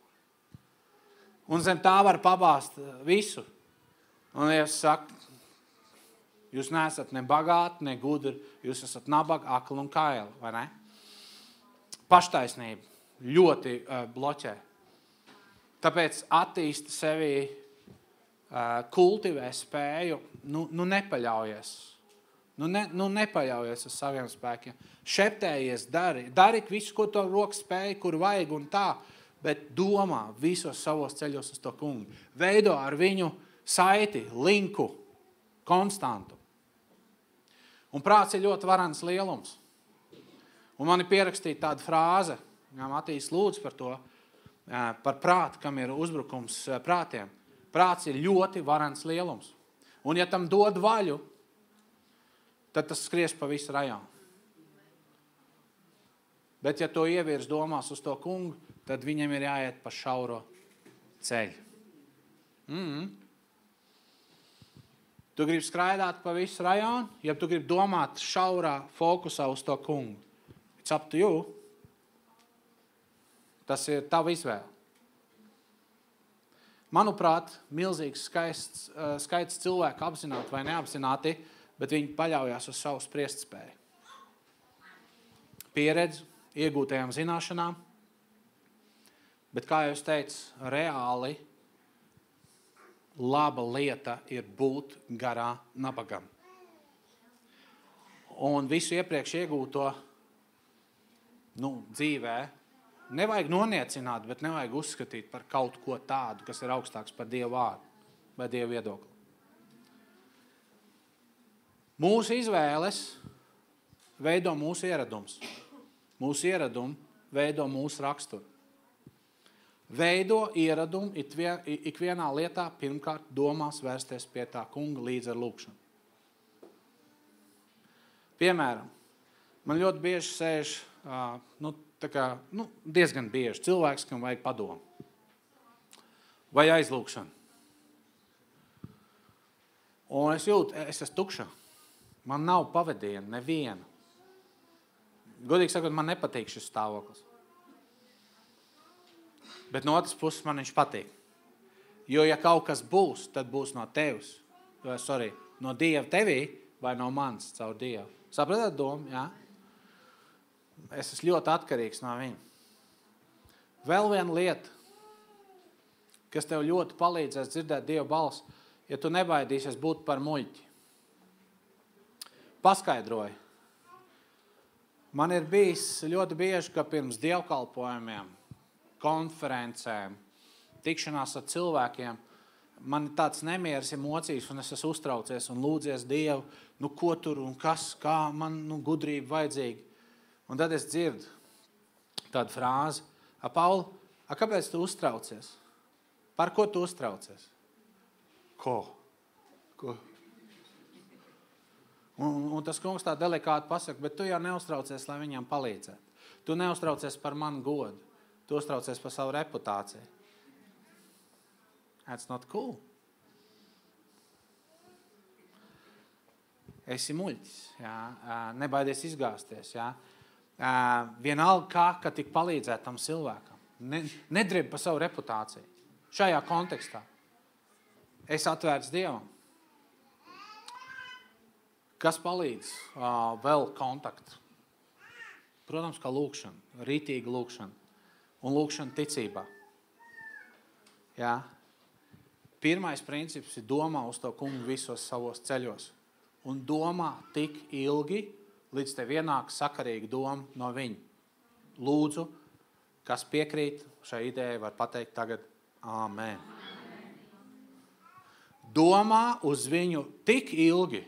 [SPEAKER 1] Un zem tā var pabāst visu. Un Dievs saka, jūs neesat ne bagāti, ne gudri, jūs esat nabagi, akli un kaili, vai ne? Paštaisnība ļoti bloķē. Tāpēc attīsti sevi, kultivē spēju, nepaļaujies. Nepaļaujies uz saviem spēkiem. Šeptējies, dari visu, ko to rokas spēja, kur vajag un tā, bet domā visos savos ceļos uz to kungu. Veido ar viņu saiti, linku, konstantu. Un prāts ir ļoti varens lielums. Un man ir pierakstīta tāda frāze, Matīs lūdz par to, par prātu, kam ir uzbrukums prātiem. Prāts ir ļoti varens lielums. Un ja tam dod vaļu, tad tas skries pa visu rajonu. Bet ja to ievirs domās uz to kungu, tad viņam ir jāiet pa šauro ceļu. Tu gribi skraidāt pa visu rajonu, ja tu gribi domāt šaurā fokusā uz to kungu. It's up to you. Tas ir tava izvēle. Manuprāt, milzīgs skaits cilvēku apzināti vai neapzināti, bet viņi paļaujās uz savu spriestspēju. Pieredzi, iegūtajām zināšanām, bet, kā jau es teicu, reāli laba lieta ir būt garā nabagam. Un visu iepriekš iegūto dzīvē nevajag noniecināt, bet nevajag uzskatīt par kaut ko tādu, kas ir augstāks par Dievu vārdu vai Dievu viedokli. Mūsu izvēles veido mūsu ieradums. Mūsu ieradumi veido mūsu raksturu. Veido ieradumu ikvienā lietā pirmkārt domās vērsties pie tā kunga līdz ar lūkšanu. Piemēram, man ļoti bieži sēž, diezgan bieži cilvēks, kam vajag padomu. Vai aizlūkšanu. Un es jūtu, es esmu tukša. Man nav pavadiena, neviena. Godīgi sakot, man nepatīk šis stāvoklis. Bet no otras puses man viņš patīk. Jo, ja kaut kas būs, tad būs no tevis. No Dieva tevī vai no manis caur Dievu. Sapratāt domu? Jā? Es esmu ļoti atkarīgs no viņa. Vēl viena lieta, kas tev ļoti palīdzēs dzirdēt Dieva balsi, ja tu nebaidīsies būt par muļķi. Paskaidroju. Man ir bijis ļoti bieži, ka pirms dievkalpojumiem, konferencēm, tikšanās ar cilvēkiem, man ir tāds nemieris emocijas, un es esmu uztraucies un lūdzies Dievu, ko tur un kas, kā man gudrība vajadzīga. Un tad es dzirdu tādu frāzi, Pauli, kāpēc tu uztraucies? Par ko tu uztraucies? Ko? Un tas kungs tā delikāti pasaka, bet tu jau neuztraucies, lai viņam palīdzētu. Tu neuztraucies par manu godu. Tu uztraucies par savu reputāciju. That's not cool. Esi muļķis, jā? Nebaidies izgāzties. Jā? Vienalga kā tik palīdzēt tam cilvēkam. Nedrib par savu reputāciju. Šajā kontekstā. Es atvērts Dievam. Kas palīdz vēl kontaktu? Protams, kā lūkšana, rītīga lūkšana. Un lūkšana ticībā. Jā. Pirmais princips ir domā uz to kungu visos savos ceļos. Un domā tik ilgi, līdz tev ienāk sakarīga doma no viņa. Lūdzu, kas piekrīt šai idejai, var pateikt tagad āmen. Domā uz viņu tik ilgi,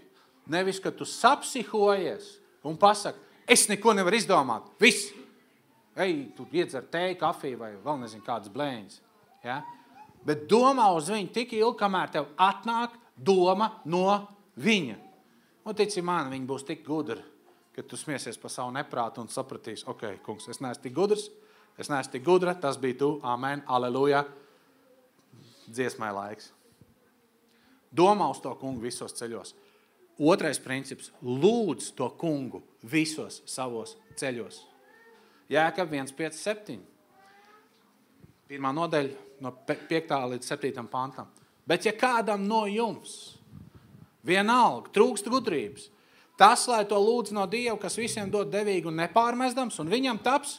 [SPEAKER 1] nevis, ka tu sapsihojies un pasaki, es neko nevaru izdomāt, viss. Ej, tu iedzer tēju, kafiju vai vēl nezinu kādas blēņas. Ja? Bet domā uz viņu tik ilgi, kamēr tev atnāk doma no viņa. Un tici man, viņi būs tik gudri, ka tu smiesies par savu neprātu un sapratīs, ok, kungs, es neesmu tik gudrs, es neesmu tik gudra, tas bija tu, amen, aleluja, dziesmai laiks. Domā uz to kungu visos ceļos. Otrais princips, lūdz to kungu visos savos ceļos. Jēkab 1,5,7. Pirmā nodaļa no 5. līdz 7. pantam. Bet ja kādam no jums vienalga trūkst gudrības, tas, lai to lūdz no Dieva, kas visiem dod devīgi un nepārmestams, un viņam taps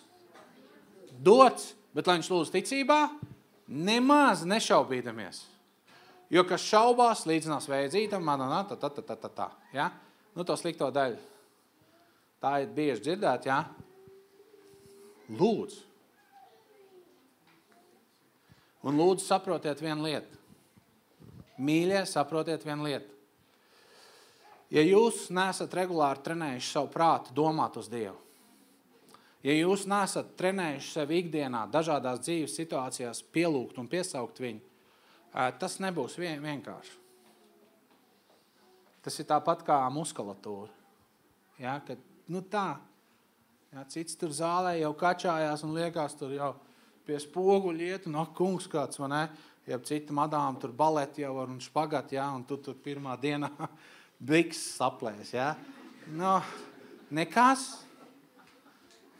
[SPEAKER 1] dots, bet lai viņš lūdz ticībā, nemaz nešaubīdamies. Jo kas šaubās, līdzinās vējadzītam, ja? To slikto daļu. Tā ir bieži dzirdēt, ja? Lūdzu. Un lūdzu saprotiet vienu lietu. Mīļie, saprotiet vienu lietu. Ja jūs neesat regulāri trenējuši savu prātu domāt uz Dievu, ja jūs neesat trenējuši sevi ikdienā dažādās dzīves situācijās pielūgt un piesaukt viņu, tas nebūs vienkārši. Tas ir tāpat kā muskulatūra. Ja, kad, tā. Ja, cits tur zālē jau kačājās un liekas tur jau pie spoguļa iet un kungs kāds, vai ne? ja cita madām tur baleti jau var un špagat, ja, un tu tur pirmā dienā biks saplēs, ja. Nu, nekas.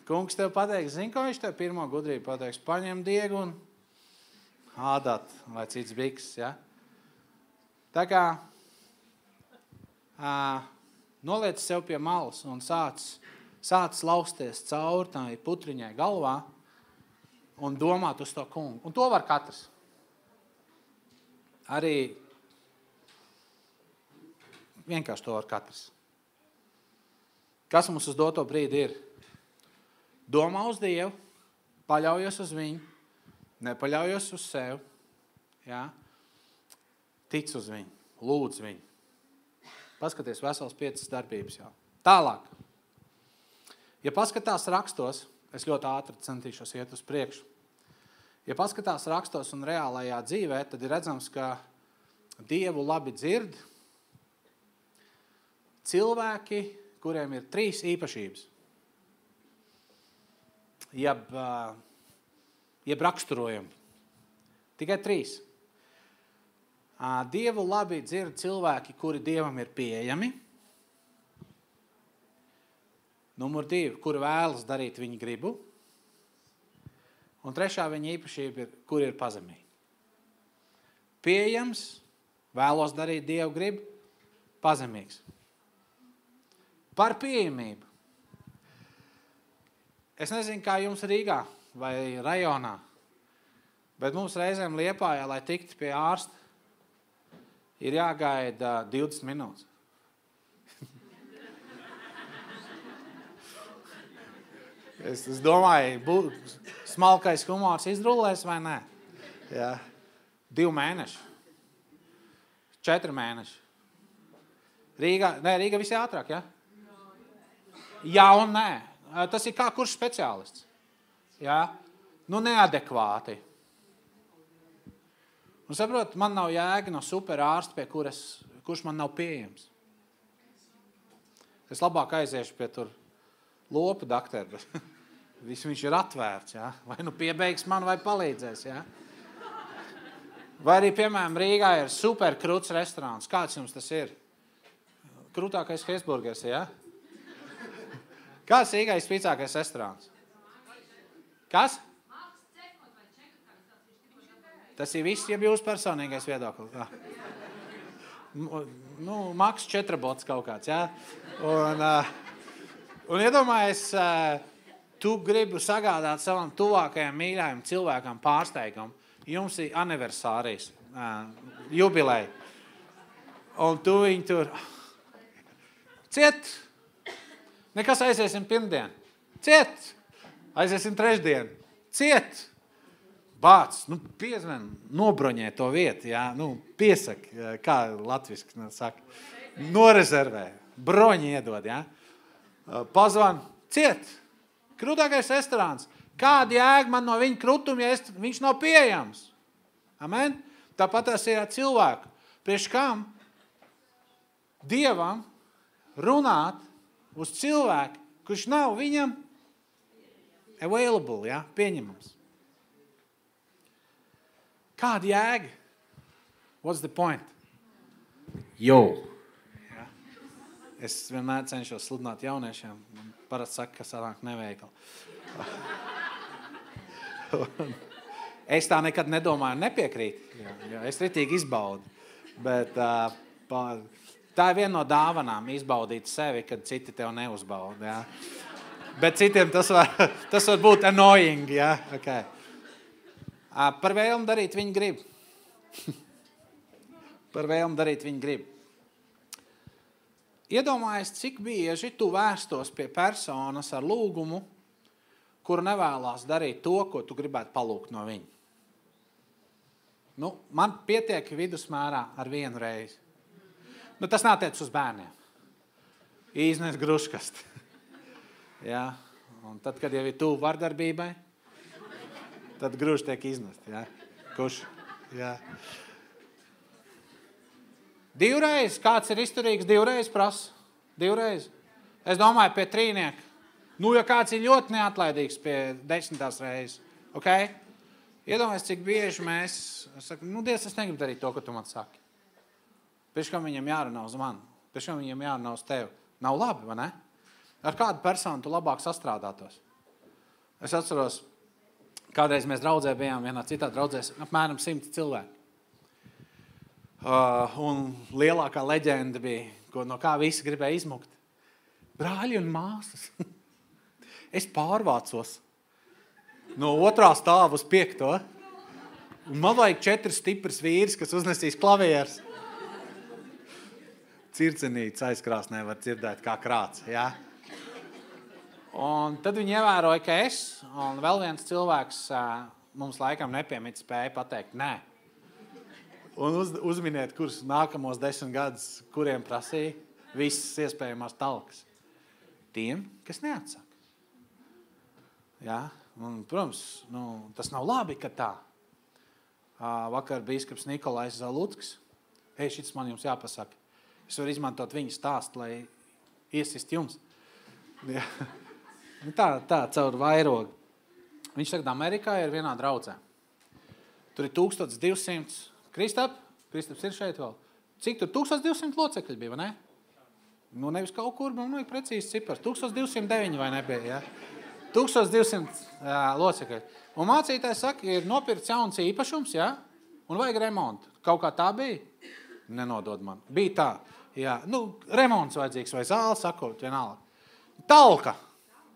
[SPEAKER 1] Kungs tev pateiks, zini, ko viņš tev pirmo gudrību pateiks? Paņem diegu un ādāt, vai cits biks, ja. Tā kā noliec sev pie malas un sāc lausties cauri tai putriņai galvā un domāt uz to kungu. Un to var katrs. Arī vienkārši to var katrs. Kas mums uz doto brīdi ir? Domā uz Dievu, paļaujies uz viņu, nepaļaujies uz sevi, ja? Tic uz viņu, lūdz viņu. Paskaties vesels 5 darbības jau. Tālāk. Ja paskatās rakstos, es ļoti ātri centīšos iet uz priekšu. Ja paskatās rakstos un reālajā dzīvē, tad ir redzams, ka Dievu labi dzird cilvēki, kuriem ir 3 īpašības. Jeb raksturojumi. Tikai 3. Dievu labi dzird cilvēki, kuri Dievam ir pieejami. Numur 2, kuri vēlas darīt viņa gribu. Un 3. viņa īpašība ir, kuri ir pazemīgi. Pieejams, vēlos darīt Dievu gribu, pazemīgs. Par pieejamību. Es nezinu, kā jums Rīgā vai rajonā, bet mums reizēm Liepājā, lai tiktu pie ārsta, ir jāgaida 20 minūtes. Es domāju, smalkais humors izrullēs vai nē? Jā. 2 mēneši. 4 mēneši. Rīga visi ātrāk, ja? Jā un nē. Tas ir kā kurš speciālists. Ja? Nu, neadekvāti. Un saprot, man nav jēga no super ārsta, pie kurš man nav pieejams. Es labāk aiziešu pie tur lopu dakteru. Viņš ir atvērts, ja? Vai nu piebeigs man, vai palīdzēs, ja? Vai arī, piemēram, Rīgā ir super krūts restorāns. Kāds jums tas ir? Krūtākais Hesburgers, ja? Kāds Rīgā ir spīcākais restorāns? Kas? Tas ir viss, ja jūs personīgais viedoklis. Nu, Maks 4 bots kaut kāds, ja? Un iedomājies, tu gribi sagādāt savam tuvākajam mīļājam cilvēkam pārsteigumu. Jums ir aniversārijas, jubileja. Un tu viņu tur ciet. Nekas aiziesim pirmdien. Ciet. Aiziesim trešdien. Ciet. Bāc, nu piezven, nobroņē to vietu, jā, nu piesak, kā latviski saka, norezervē, broņi iedod, jā. Pazvan, ciet, krūtākais restorāns, kāda jēga man no viņa krutuma, ja viņš nav pieejams? Amen? Tāpat tas ir cilvēku. Priekš kam Dievam runāt uz cilvēku, kurš nav viņam available, jā, pieņemams. Kāda jēga? What's the point? Jo. Ja. Es vienmēr cenšos sludināt jauniešiem. Man parasti saka, ka sanāk neveikli. Es tā nekad nedomāju, nepiekrīt. Ja, es ritīgi izbaudu. Bet tā ir viena no dāvanām, izbaudīt sevi, kad citi tev neuzbauda. Ja. Bet citiem tas var būt annoying. Ja. Okay. Par vēlmu darīt viņa grib. Par vēlmu darīt viņa grib. Iedomājies, cik bieži tu vērstos pie personas ar lūgumu, kuru nevēlās darīt to, ko tu gribētu palūgt no viņa. Nu, man pietiek vidusmērā ar 1 reizi. Nu, tas nātiec uz bērniem. Iznes gruškasti. Ja? Un tad, kad jau ir tuvu vardarbībai, tad grūži tiek iznest, ja? Kurš? Ja. 2 reizes, kāds ir izturīgs 2 reizes prasa? 2 reizes. Es domāju, pie 3. Nu, ja kāds ir ļoti neatlaidīgs pie 10. reizes, ok? Iedomājies, cik bieži mēs sakam, Dievs, es negribu darīt to, ko tu man saki. Pēc kam viņam jārunā uz mani? Pēc kam viņam jārunā uz tevi? Nav labi, vai ne? Ar kādu personu tu labāk sastrādātos? Es atceros, kādreiz mēs draudzē bijām vienā citā draudzēs, apmēram 100 cilvēki. Un lielākā leģenda bija, no kā visi gribēja izmukt. Brāļi un māsas. Es pārvācos no 2. stāva uz 5. Un man vajag 4 stipras vīris, kas uznesīs klavieres. Circenīts aizkrāsnē var dzirdēt kā krāts, jā. Un tad viņi ievēroja, ka es un vēl viens cilvēks mums laikam nepiemīt spēja pateikt nē. Un uzminiet, kurus nākamos 10 gadus, kuriem prasīja visas iespējamās talkas. Tiem, kas neatsaka. Jā, un, protams, tas nav labi, ka tā. Vakar bīskaps Nikolais Zaluckis. Šitas man jums jāpasaka. Es varu izmantot viņa stāstu, lai iesist jums. Jā. Tā caur vairogu. Viņš tagad Amerikā ir vienā draudzē. Tur ir 1200. Kristaps ir šeit vēl. Cik tur 1200 locekļi bija, vai ne? Nevis kaut kur, man vajag precīzi cipars. 1209 vai nebija, jā? 1200 locekļi. Un mācītājs saka, ir nopirkts jauns īpašums, jā? Un vajag remontu. Kaut kā tā bija? Nenodod man. Bija tā, jā. Remonts vajadzīgs vai zāle sakot, vienalga. Talka,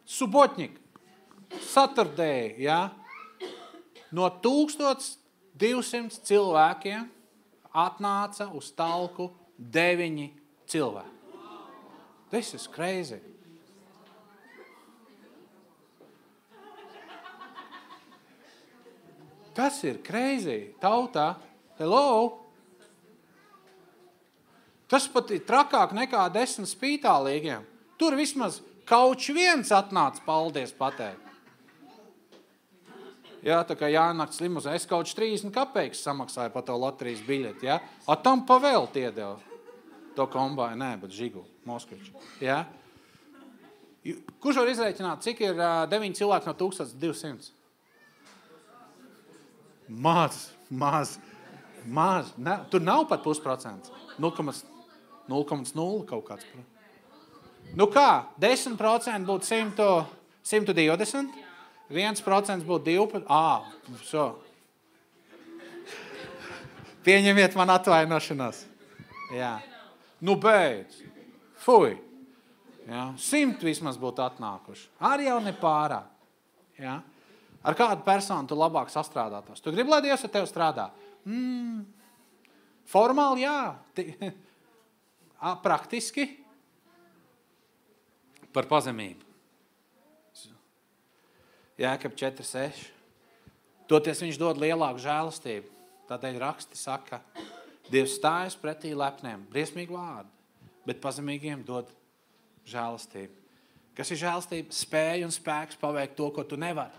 [SPEAKER 1] subotņik, Saturday, jā? No 1200 cilvēkiem atnāca uz talku 9 cilvēki. This is crazy. Tas ir crazy. Tautā, hello? Tas pat ir trakāk nekā 10 spītālīgiem. Tur vismaz kauč viens atnāca paldies pateikt. Jā, tā kā jānakts limuzē, es kauč 30 kapeikas samaksāju pa to loterijas biļeti, jā? A tam pavēlt iedeva to kombāju, nē, bet žigu, Moskviču, jā? Kurš var izrēķināt, cik ir 9 cilvēki no 1200? Maz. Ne, tur nav pat 0,5%. 0,0 kaut kāds. Kā? 10% būtu 120, 1% būtu 12. So. Pieņemiet man atvainošanos. Jā. Beidz. Fuj. Jā. 100 vismaz būtu atnākuši. Arī jau nepārāk. Jā. Ar kādu personu tu labāk sastrādātos? Tu gribi, lai Dievs ar tevi strādā? Formāli jā. Praktiski par pazemību. Jēkab 4,6. Toties viņš dod lielāku žēlastību. Tādēļ raksti saka, Dievs stājas pretī lepniem, briesmīgi vārdi, bet pazemīgiem dod žēlastību. Kas ir žēlastība? Spēja un spēks paveikt to, ko tu nevari.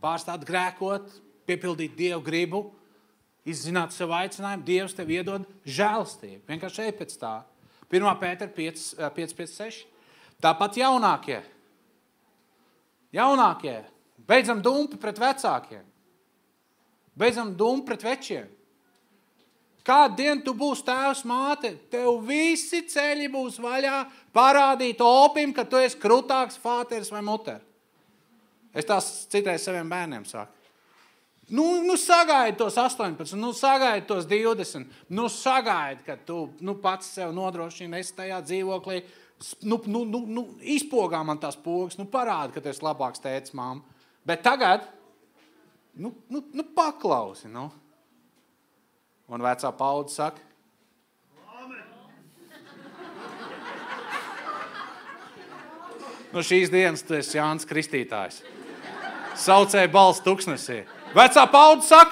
[SPEAKER 1] Pārstāt grēkot, piepildīt Dievu gribu, izzināt savu aicinājumu, Dievs tev iedod žēlastību. Vienkārši ej pēc tā. 1. Pētera 5,6. Tāpat jaunākie. Beidzam dumpi pret vecākiem. Beidzam dumpi pret večiem. Kādu dienu tu būsi tēvs, māte, tev visi ceļi būs vaļā parādīt opim, ka tu esi krutāks fāteris vai muter. Es tās citreiz saviem bērniem saku. Sagaidi tos 18, sagaidi tos 20, sagaidi, ka tu pats sev nodrošini, esi tajā dzīvoklī, izpogā man tās pogas, parādi, ka tu esi labāks tētis, mamma. Bet tagad, paklausi, Un vecā paudze saka, šīs dienas tu esi Jānis Kristītājs. Saucēja balss tuksnesī. Vecā paudze saka?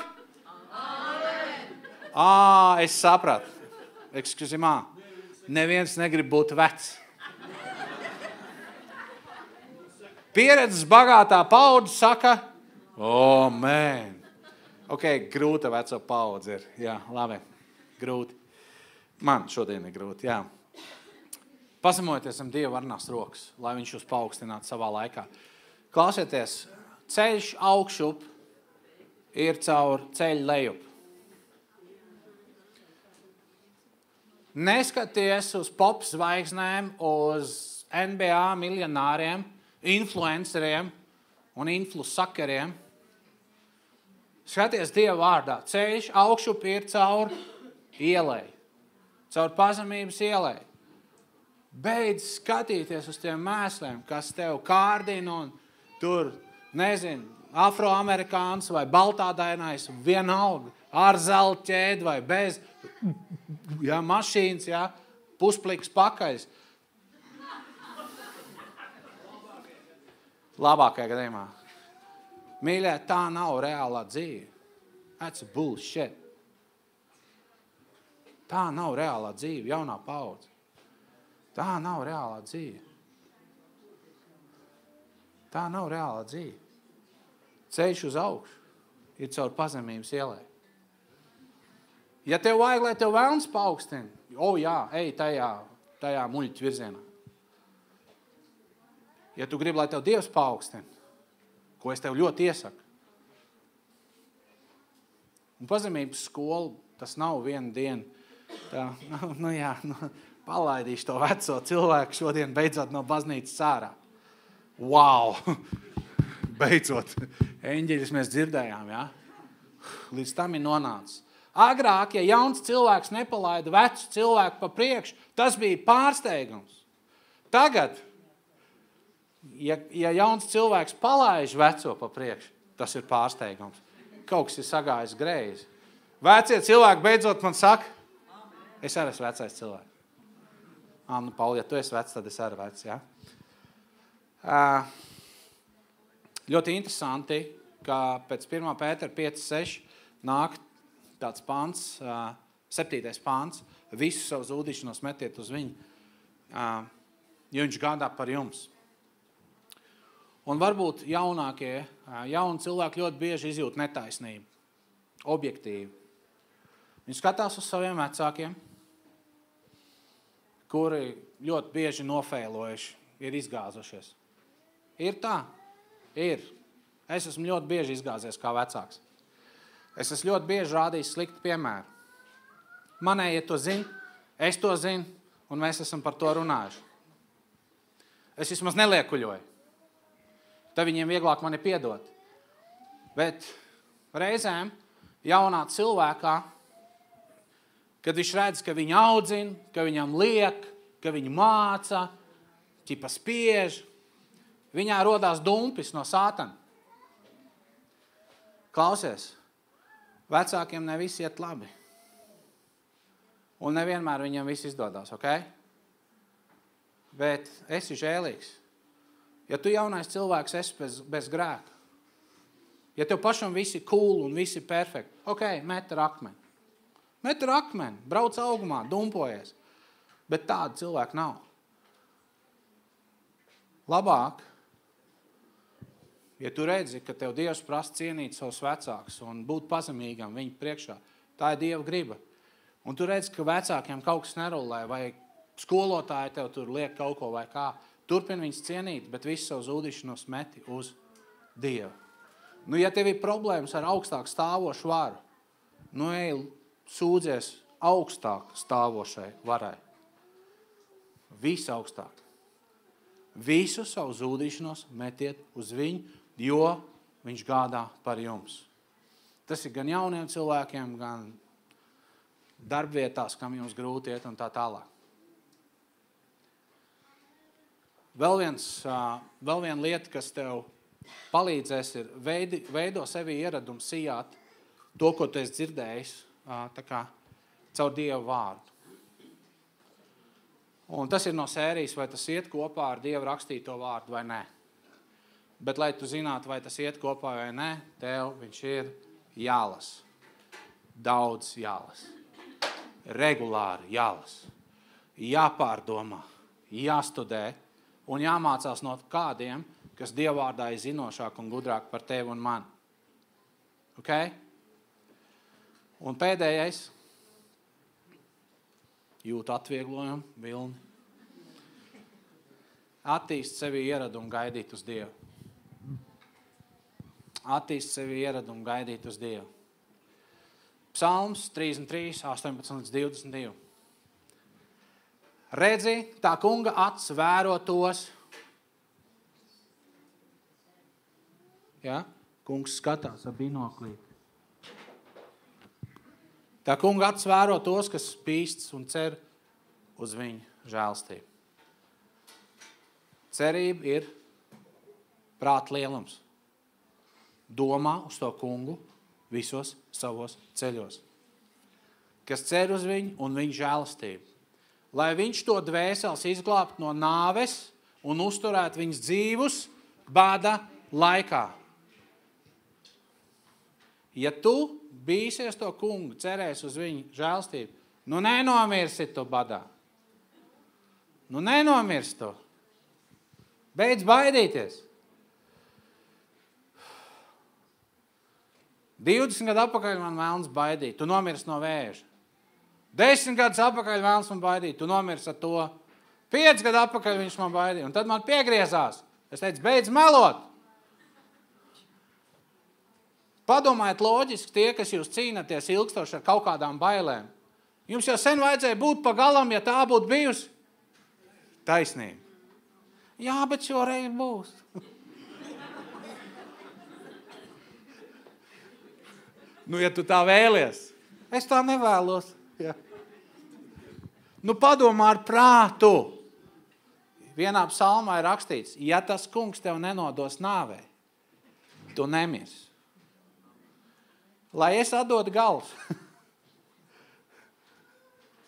[SPEAKER 1] Es sapratu. Neviens negrib būt vecs. Pieredzes bagātā paudze saka, man. Grūta veco paudze ir. Jā, labi. Grūti. Man šodien ir grūti, jā. Pazemojoties zem Dieva varnās rokas, lai viņš jūs paaugstinātu savā laikā. Klausieties, ceļš augšup ir caur ceļu lejup. Neskaties uz pop zvaigznēm, uz NBA miljonāriem, influenceriem un influsakeriem. Skaties Dieva vārdā. Ceļš augšup ir caur ielai, caur pazemības ielai. Beidz skatīties uz tiem mēsliem, kas tev kārdina un tur, nezinu, afroamerikāns vai baltādainais, vienalga, ar zelta ķēdi vai bez, mašīnas, puspliks pakaļs. Labākajā gadījumā. Mīļie, tā nav reālā dzīve. That's bullshit. Tā nav reālā dzīve, jaunā paudze. Tā nav reālā dzīve. Tā nav reālā dzīve. Ceļš uz augšu ir caur pazemības ielai. Ja tev vajag, lai tev velns paaugstina, ej tajā muļķa virzienā. Ja tu gribi, lai tev Dievs paaugstina, ko es tev ļoti iesaku. Un pazemības skola, tas nav viena diena. Tā, palaidīšu to veco cilvēku šodien beidzot no baznīcas ārā. Wow! Beidzot! Eņģeļus mēs dzirdējām, Līdz tam ir nonācis. Agrāk, ja jauns cilvēks nepalaida vecu cilvēku pa priekšu, tas bija pārsteigums. Tagad, ja jauns cilvēks palaiž veco pa priekšu, tas ir pārsteigums. Kaut kas ir sagājis greizi. Vecie cilvēki beidzot man saka, es arī esmu vecais cilvēks. Pauli, ja tu esi vecs, tad es arī vecs, Ļoti interesanti, ka pēc 1. Pētera 5.6 nāk tāds pants, 7. pants, visu savu zūdīšanos metiet uz viņu, jo viņš gādā par jums. Un varbūt jauni cilvēki ļoti bieži izjūt netaisnību, objektīvi. Viņi skatās uz saviem vecākiem, kuri ļoti bieži nofēlojuši, ir izgāzušies. Ir tā? Ir. Es esmu ļoti bieži izgāzies kā vecāks. Es esmu ļoti bieži rādījis sliktu piemēru. Manējie to zina, es to zinu, un mēs esam par to runājuši. Es vismaz neliekuļoju. Tad viņiem vieglāk mani piedot. Bet reizēm jaunā cilvēkā, kad viņš redz, ka viņu audzina, ka viņam liek, ka viņu māca, ķipa spiež, viņā rodās dumpis no sātana. Klausies, vecākiem ne visi iet labi. Un nevienmēr viņam viss izdodās, ok? Bet esi žēlīgs. Ja tu jaunais cilvēks esi bez grēka, ja tev pašam visi cool un visi perfekti, ok, met ar akmeni. Met ar akmeni, brauc augumā, dumpojies. Bet tāda cilvēka nav. Labāk, ja tu redzi, ka tev Dievs prasa cienīt savus vecākus un būt pazemīgam viņu priekšā, tā ir Dieva griba. Un tu redzi, ka vecākiem kaut kas nerulē, vai skolotāji tev tur liek kaut ko vai kā. Turpin viņus cienīt, bet visu savu zūdīšanos meti uz Dievu. Ja tev ir problēmas ar augstāk stāvošu varu, ej sūdzies augstāk stāvošai varai. Visu augstāk. Visu savu zūdīšanos metiet uz viņu, jo viņš gādā par jums. Tas ir gan jauniem cilvēkiem, gan darbvietās, kam jums grūti iet un tā tālāk. Vēl viena lieta, kas tev palīdzēs, ir veido sevi ieradumu sijāt to, ko tu esi dzirdējis, tā kā caur Dieva vārdu. Un tas ir no sērijas, vai tas iet kopā ar Dieva rakstīto vārdu vai nē. Bet, lai tu zinātu, vai tas iet kopā vai nē, tev viņš ir jālas. Daudz jālas. Regulāri jālas. Jāpārdomā, jāstudē un jāmācās no kādiem, kas Dievvārdā ir zinošāk un gudrāk par tevi un mani. Ok? Un pēdējais. Jūt atvieglojumu, vilni. Attīst sevi ieradumu gaidīt uz Dievu. attīst sevi ieradumu gaidīt uz Dievu. Psalms 33, 18-22. Redzi, tā kunga acs vēro tos. Ja? Kungs skatās ar binoklīti. Tā kunga acs vēro tos, kas pīsts un cer uz viņu žēlstību. Cerība ir prāta lielums. Domā uz to kungu visos savos ceļos. Kas cer uz viņu un viņu žēlastību. Lai viņš to dvēseles izglābt no nāves un uzturēt viņus dzīvus bada laikā. Ja tu bīsies to kungu, cerēs uz viņu žēlastību, nu nenomirsi tu badā. Nu nenomirsi tu. Beidz baidīties. 20 gadu atpakaļ man vēlns baidīt, tu nomirsi no vēža. 10 gadus atpakaļ vēlns man baidīt, tu nomirsi ar to. 5 gadu atpakaļ viņš man baidīja, un tad man piegriezās. Es teicu, beidz melot. Padomājiet loģiski tie, kas jūs cīnaties ilgstoši ar kaut kādām bailēm. Jums jau sen vajadzēja būt pa galam, ja tā būtu bijusi taisnība. Jā, bet šoreiz būs. Nu, ja tu tā vēlies, es tā nevēlos. Ja. Nu, padomā ar prātu. Vienā psalmā ir rakstīts, ja tas kungs tev nenodos nāvē, tu nemirsi. Lai es atdodu galus.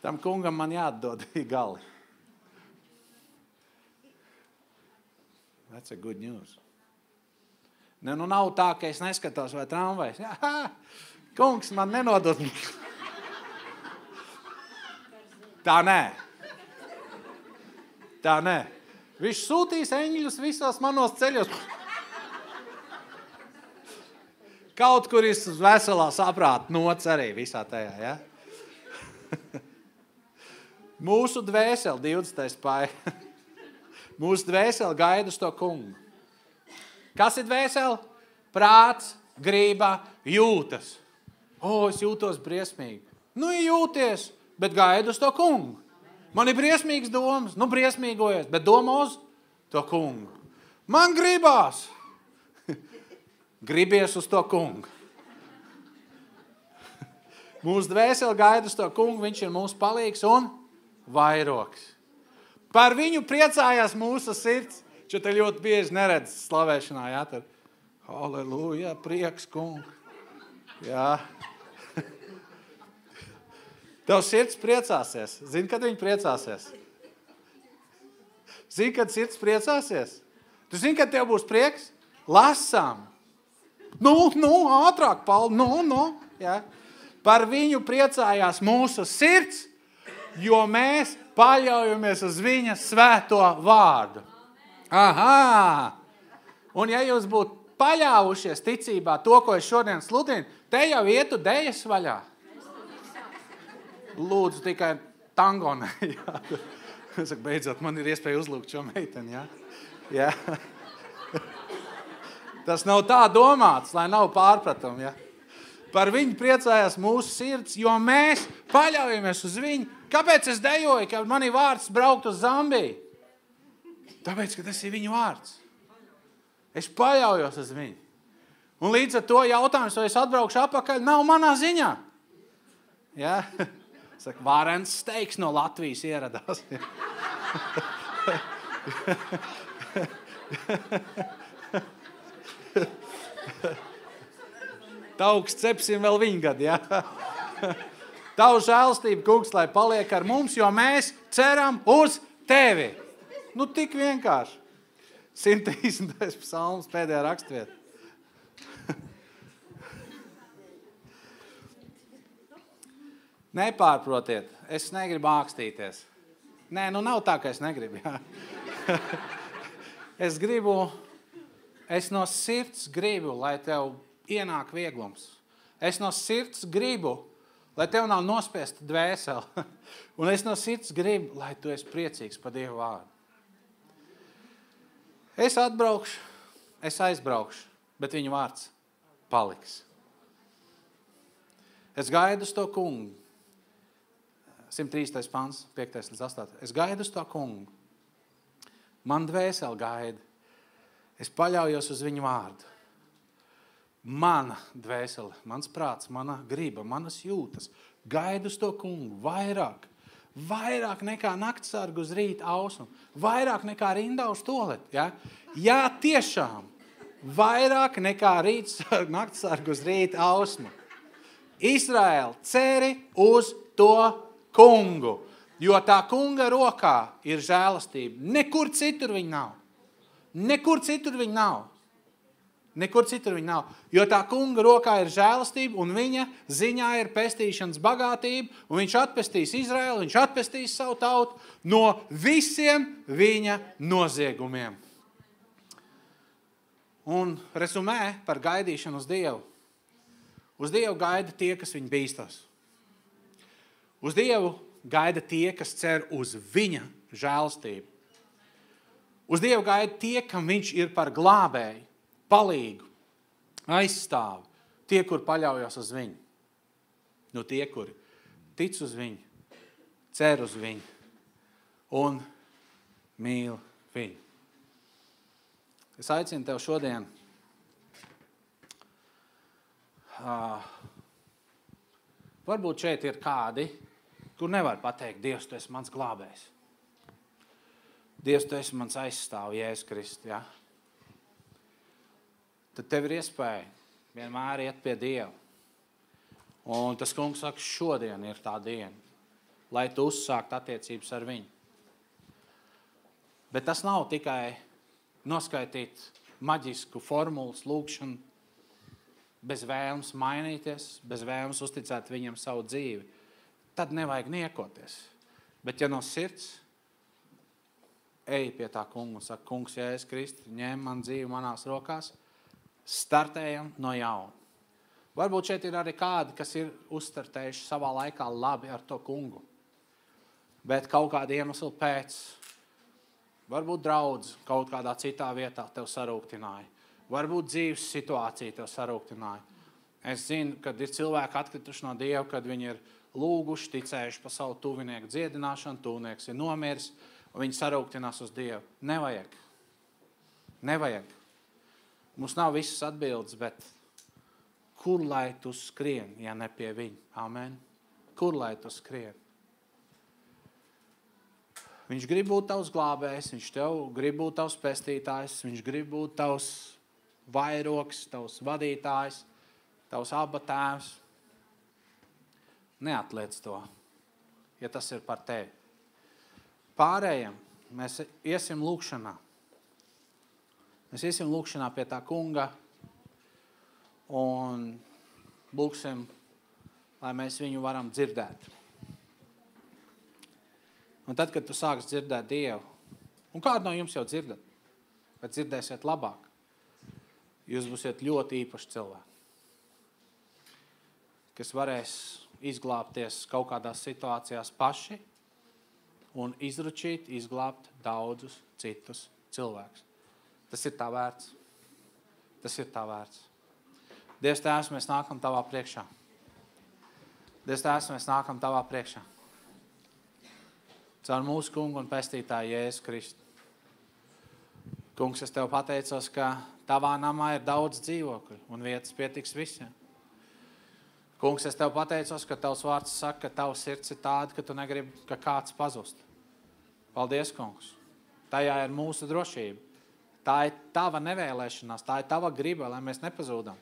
[SPEAKER 1] Tam kungam man jāatdod gali. That's a good news. Ne, nu nav tā, ka es neskatos vai tramvajs. Jā, kungs man nenodod. Tā nē. Tā nē. Viņš sūtīs eņģļus visos manos ceļos. Kaut kur ir veselā saprāta nots arī visā tajā, ja? Mūsu dvēseli, 20. pāja. Mūsu dvēseli gaida uz to kungu. Kas ir dvēseli? Prāts, grība, jūtas. Es jūtos briesmīgi. Nu, jūties, bet gaida uz to kungu. Man ir briesmīgas domas, nu briesmīgojies, bet domā uz to kungu. Man gribās. Gribies uz to kungu. Mūsu dvēseli gaida uz to kungu, viņš ir mūsu palīgs un vairoks. Par viņu priecājās mūsu sirds. Čo te ļoti bieži neredz slavēšanā, jā, tad halleluja, prieks, kungu. Jā. Tev sirds priecāsies. Zini, kad viņi priecāsies? Zini, kad sirds priecāsies? Tu zini, kad tev būs prieks? Lasām. Nu, ātrāk, Pauli, jā. Par viņu priecājās mūsu sirds, jo mēs paļaujamies uz viņa svēto vārdu. Aha! Un ja jūs būtu paļāvušies ticībā to, ko es šodien sludinu, te jau ietu dejas vaļā. Lūdzu, tikai tango ne. Es saku, beidzot, man ir iespēja uzlūgt šo meiteni, jā? Jā. Tas nav tā domāts, lai nav pārpratumu, jā? Par viņu priecājās mūsu sirds, jo mēs paļaujamies uz viņu. Kāpēc es dejoju, ka man ir vārds braukt uz Zambiju? Tāpēc, ka tas ir viņu vārds. Es paļaujos uz viņu. Un līdz ar to jautājums, vai es atbraukšu atpakaļ, nav manā ziņā. Ja? Saka, Vārens Steiks no Latvijas ieradās. Tauks cepsim vēl viņu gadu, ja? Tavu žēlstību, kungs, lai paliek ar mums, jo mēs ceram uz tevi. Nu, tik vienkārši. 130. psalms, pēdējā rakstvieta. Nepārprotiet, es negribu ākstīties. Nē, nu nav tā, ka es negribu, jā. Es no sirds gribu, lai tev ienāk vieglums. Es no sirds gribu, lai tev nav nospiesta dvēseli. Un es no sirds gribu, lai tu esi priecīgs par Dievu vārdu. Es atbraukšu, es aizbraukšu, bet viņa vārds paliks. Es gaidu uz to kungu. 103. pants, 5. līdz 8. Es gaidu uz to kungu. Man dvēseli gaida. Es paļaujos uz viņu vārdu. Mana dvēsele, mans prāts, mana griba, manas jūtas. Gaidu uz to kungu vairāk. Vairāk nekā naktsargu uz rīta ausmu. Vairāk nekā rindā uz toleti. Ja? Jā, tiešām. Vairāk nekā naktsargu uz rīta ausmu. Izraēl, ceri uz to kungu. Jo tā kunga rokā ir žēlastība. Nekur citur viņa nav. Nekur citur viņa nav. Nekur citur viņa nav. Jo tā kunga rokā ir žēlastība un viņa ziņā ir pestīšanas bagātība un viņš atpestīs Izraēlu, viņš atpestīs savu tautu no visiem viņa noziegumiem. Un resumē par gaidīšanu uz Dievu. Uz Dievu gaida tie, kas viņu bīstas. Uz Dievu gaida tie, kas cer uz viņa žēlastību. Uz Dievu gaida tie, kam viņš ir par glābēju, palīgu, aizstāvu. Tie, kur paļaujas uz viņu. Nu, tie, kuri tic uz viņu, cer uz viņu un mīl viņu. Es aicinu tev šodien varbūt šeit ir kādi, kur nevar pateikt, Dievs, tu esi mans glābējs. Dievs, tu esi mans aizstāv, Jēzus Kristus, ja? Tad tev ir iespēja vienmēr iet pie Dieva. Un tas kungs saka, šodien ir tā diena, lai tu uzsākt attiecības ar viņu. Bet tas nav tikai noskaitīt maģisku formulas lūkšanu, bez vēlmes mainīties, bez vēlmes uzticēt viņam savu dzīvi. Tad nevajag niekoties. Bet ja no sirds ej pie tā kunga un saka, kungs, Jēzus Kristus, ņem man dzīvi manās rokās, startējam no jauna. Varbūt šeit ir arī kādi, kas ir uzstartējuši savā laikā labi ar to kungu. Bet kaut kāda iemesla pēc, varbūt draudz kaut kādā citā vietā tev sarūktināja. Varbūt dzīves situācija tev sarūktināja. Es zinu, kad ir cilvēki atkrituši no Dieva, kad viņi ir lūguši, ticējuši pa savu tuvinieku dziedināšanu, tuvinieks ir nomiris, un viņi sarūktinās uz Dievu. Nevajag. Nevajag. Mums nav visas atbildes, bet kur lai tu skrien, ja ne pie viņa? Amen. Kur lai tu skrien? Viņš grib būt tavs glābējs, viņš tev grib būt tavs pestītājs, viņš grib būt tavs vairoks, tavs vadītājs, tavs abba tēvs. Neatliec to, ja tas ir par tevi. Pārējiem mēs iesim lūkšanā. Mēs iesim lūkšanā pie tā kunga un lūksim, lai mēs viņu varam dzirdēt. Un tad, kad tu sāks dzirdēt Dievu, un kādu no jums jau dzirdat, bet dzirdēsiet labāk, jūs būsiet ļoti īpaši cilvēki, kas varēs izglābties kaut kādās situācijās paši un izručīt, izglābt daudzus citus cilvēkus. Tas ir tā vērts. Tas ir tā vērts. Dievs Tēvs, mēs nākam tavā priekšā. Dievs Tēvs, mēs nākam tavā priekšā. Caur mūsu kungu un pestītāju Jēzu Kristu. Kungs, es tev pateicos, ka tavā namā ir daudz dzīvokļu un vietas pietiks visiem. Kungs, es tev pateicos, ka tavs vārds saka, ka tavs sirds ir tāda, ka tu negribi, ka kāds pazust. Paldies, kungs. Tajā ir mūsu drošība. Tā ir tava nevēlēšanās, tā ir tava griba, lai mēs nepazūdam.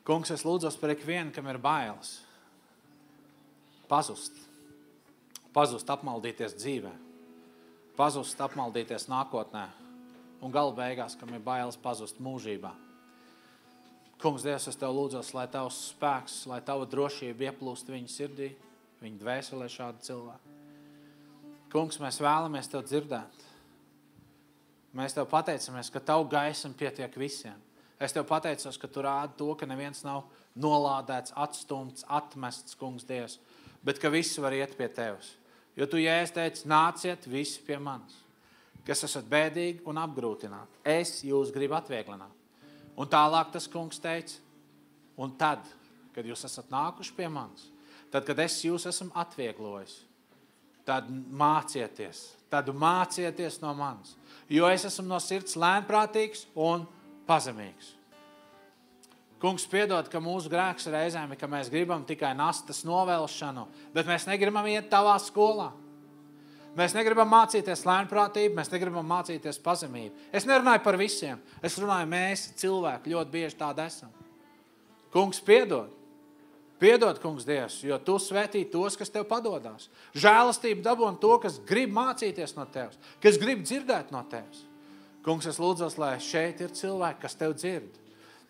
[SPEAKER 1] Kungs, es lūdzos par ikvienu, kam ir bailes. Pazust. Pazust, apmaldīties dzīvē. Pazust, apmaldīties nākotnē. Un gala beigās, kam ir bailes pazust mūžībā. Kungs, Dievs, es tev lūdzos, lai tavs spēks, lai tava drošība ieplūst viņa sirdī, viņa dvēselē šādu cilvēku. Kungs, mēs vēlamies tev dzirdēt. Mēs tev pateicamies, ka tavu gaismu pietiek visiem. Es tev pateicos, ka tu rādi to, ka neviens nav nolādēts, atstumts, atmests, kungs Dievs, bet ka visi var iet pie tevis. Jo tu, Jēzus, teici, nāciet visi pie manis, kas esat bēdīgi un apgrūtināti. Es jūs gribu atvieglināt. Un tālāk tas kungs teica, un tad, kad jūs esat nākuši pie manis, tad, kad es jūs esmu atvieglojis, tad mācieties no manis, jo es esmu no sirds lēnprātīgs un pazemīgs. Kungs, piedod, ka mūsu grēks reizēm ir, ka mēs gribam tikai nastas novelšanu, bet mēs negribam iet tavā skolā. Mēs negribam mācīties lēnprātību, mēs negribam mācīties pazemību. Es nerunāju par visiem, es runāju, mēs cilvēki ļoti bieži tādi esam. Kungs, piedod. Piedod, kungs Dievs, jo tu svētī tos, kas tev padodās. Žēlastību dabon to, kas grib mācīties no tevis, kas grib dzirdēt no tevis. Kungs, es lūdzos, lai šeit ir cilvēki, kas tev dzird.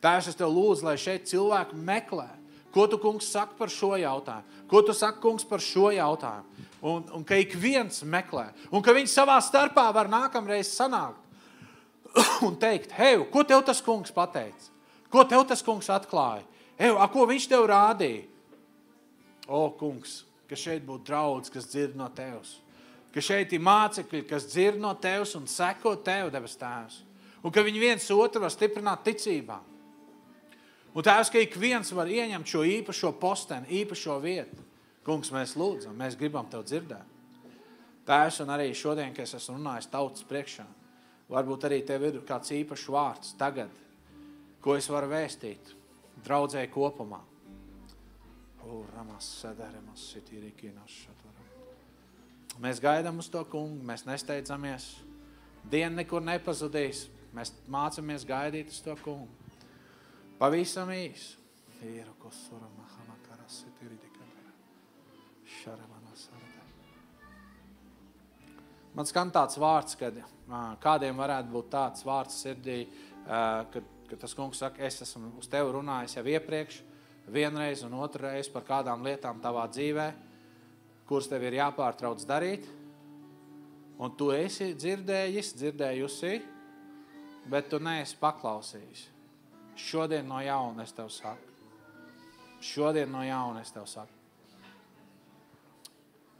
[SPEAKER 1] Tēvs, es tev lūdzu, lai šeit cilvēki meklē. Ko tu, kungs, saki par šo jautājumu? Ko tu saki, kungs, par šo jautājumu? Un ka ik viens meklē. Un ka viņi savā starpā var nākamreiz sanākt un teikt, hei, ko tev tas kungs pateica? Ko tev tas kungs atklāja? Hei, ko viņš tev rādīja? O, kungs, ka šeit būtu draudz, kas dzird no tevs. Ka šeit ir mācekļi, kas dzird no tevs un seko tev, debes tēvs. Un ka viņi viens otru var stiprināt ticībā. Un tēvs, ka ik viens var ieņemt šo īpašo posteni, īpašo vietu. Kungs, mēs lūdzam, mēs gribam tev dzirdēt. Tēvs, un arī šodien, kad es esmu runājis tautas priekšā, varbūt arī tev ir kāds īpašs vārds tagad, ko es varu vēstīt draudzēji kopumā. Mēs gaidām uz to kungu, mēs nesteidzamies. Diena nekur nepazudīs, mēs mācamies gaidīt uz to kungu. Pavisam īs. Man skan tāds vārds, kad kādiem varētu būt tāds vārds sirdī, kad tas kungs saka, es esmu uz tevi runājis jau iepriekš, vienreiz un otrreiz par kādām lietām tavā dzīvē, kuras tev ir jāpārtrauc darīt, un tu esi dzirdējusi, bet tu neesi paklausījis. Šodien no jauna es tev saku. Šodien no jauna es tev saku.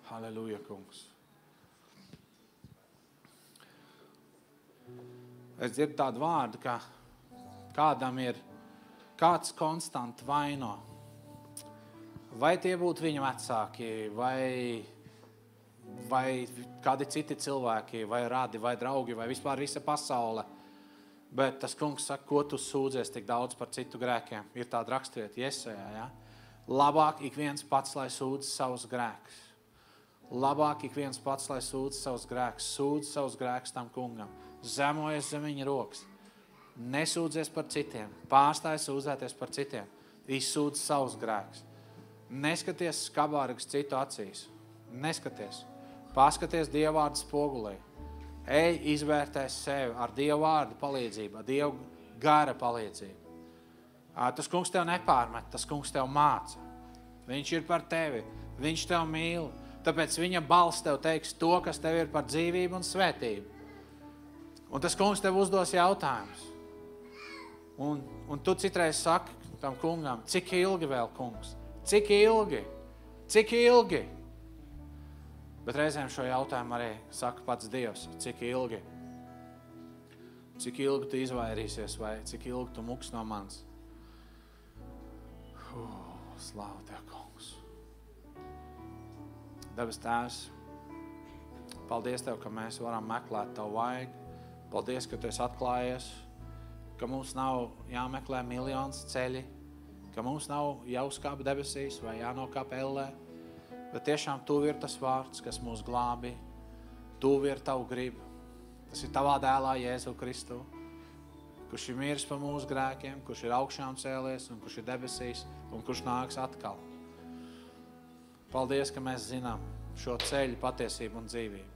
[SPEAKER 1] Halleluja, kungs. Es dzirdu tādu vārdu, ka kādam ir kāds konstanti vaino. Vai tie būtu viņa vecāki, vai kādi citi cilvēki, vai radi, vai draugi, vai vispār visa pasaule. Bet tas kungs saka, ko tu sūdzies tik daudz par citu grēkiem. Ir tāda raksturieta Jesajā, ja? Labāk ik viens pats, lai sūdz savus grēkus. Labāk ik viens pats, lai sūdz savus grēkus. Sūdz savus grēkus tam kungam. Zemojies zem viņa rokas. Nesūdzies par citiem. Pārstāj sūdzēties par citiem. Izsūdz savus grēkus. Neskaties skabārgas citu acīs. Neskaties. Paskaties Dievvārdu spogulī. Ej, izvērtēs sevi ar Dievu vārdu palīdzību, ar Dievu gara palīdzību. Tas kungs tev nepārmet, tas kungs tev māca. Viņš ir par tevi, viņš tev mīl, tāpēc viņa balss tev teiks to, kas tev ir par dzīvību un svētību. Un tas kungs tev uzdos jautājumus. Un tu citreiz saki tam kungam, cik ilgi vēl, kungs? Cik ilgi? Cik ilgi? Bet reizēm šo jautājumu arī saka pats Dievs, cik ilgi? Cik ilgi tu izvairīsies vai cik ilgi tu muks no manis? Slāva Tev, kungs. Debes Tēvs, paldies Tev, ka mēs varam meklēt Tavu vaigu. Paldies, ka Tu esi atklājies, ka mums nav jāmeklē miljonus ceļi, ka mums nav jāuzkāp debesīs vai jānokāp ellē. Bet tiešām Tuvi ir tas vārds, kas mūs glābi. Tuvi ir Tavu gribu. Tas ir Tavā dēlā Jēzu Kristu, kurš ir miris par mūsu grēkiem, kurš ir augšām cēlies un kurš ir debesīs un kurš nāks atkal. Paldies, ka mēs zinām šo ceļu, patiesību un dzīvību.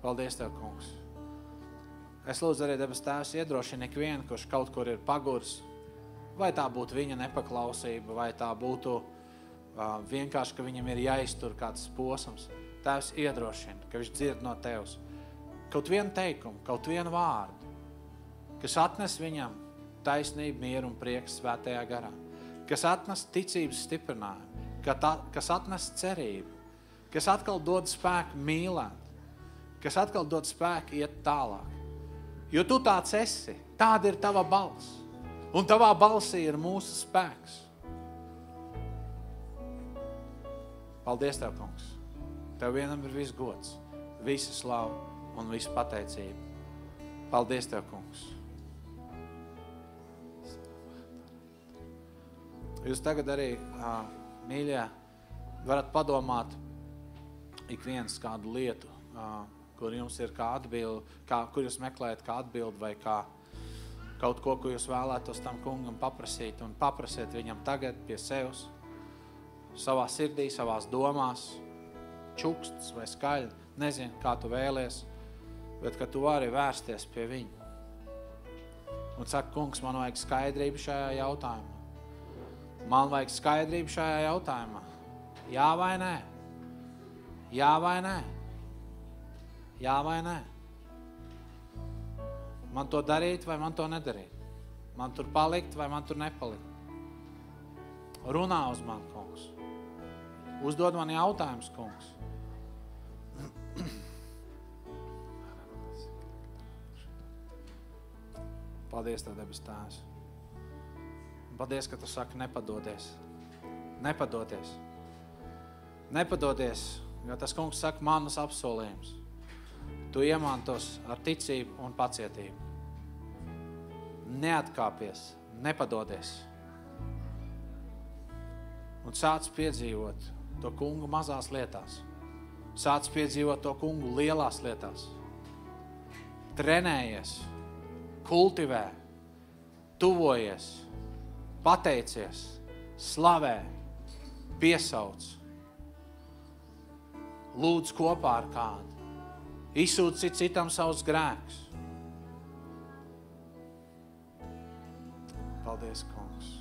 [SPEAKER 1] Paldies Tev, kungs. Es lūdzu arī, debes Tēvs, iedrošina ikvienu, kurš kaut kur ir pagurs, vai tā būtu viņa nepaklausība, vai tā būtu vienkārši, ka viņam ir jāiztur kāds posms. Tēvs iedrošina, ka viņš dzird no Tevs. Kaut vienu teikumu, kaut vienu vārdu, kas atnes viņam taisnību, mieru un prieku svētajā garā, kas atnes ticības stiprinājumu, kas atnes cerību, kas atkal dod spēku mīlēt, kas atkal dod spēku iet tālāk. Jo Tu tāds esi, tāda ir Tava balss. Un tavā balsī ir mūsu spēks. Paldies Tev, kungs. Tev vienam ir viss gods, visa slava un visa pateicība. Paldies Tev, kungs. Jūs tagad arī, mīļie, varat padomāt ik viens kādu lietu, kur jums ir kā atbildi, kur jūs meklējat kā atbildi vai kā kaut ko, ko jūs vēlētos tam kungam paprasīt un paprasiet viņam tagad pie sevs, savā sirdī, savās domās, čuksts vai skaļi, nezinu, kā tu vēlies, bet ka tu vari vērsties pie viņa. Un saka, kungs, man vajag skaidrību šajā jautājumā. Man vajag skaidrību šajā jautājumā. Jā vai nē? Jā vai nē? Jā vai nē? Man to darīt vai man to nedarīt? Man tur palikt vai man tur nepalikt? Runā uz mani, kungs. Uzdod man jautājums, kungs. Paldies Tev, debes Tēvs. Paldies, ka Tu saki nepadodies. Nepadoties. Nepadodies, jo tas kungs saka manas apsolījums. Tu iemantos ar ticību un pacietību. Neatkāpies, nepadodies. Un sāc piedzīvot to kungu mazās lietās. Sāc piedzīvot to kungu lielās lietās. Trenējies, kultivē, tuvojies, pateicies, slavē, piesauc. Lūdz kopā ar kādu. Izsūci citam savus grēkus. Paldies, kungs.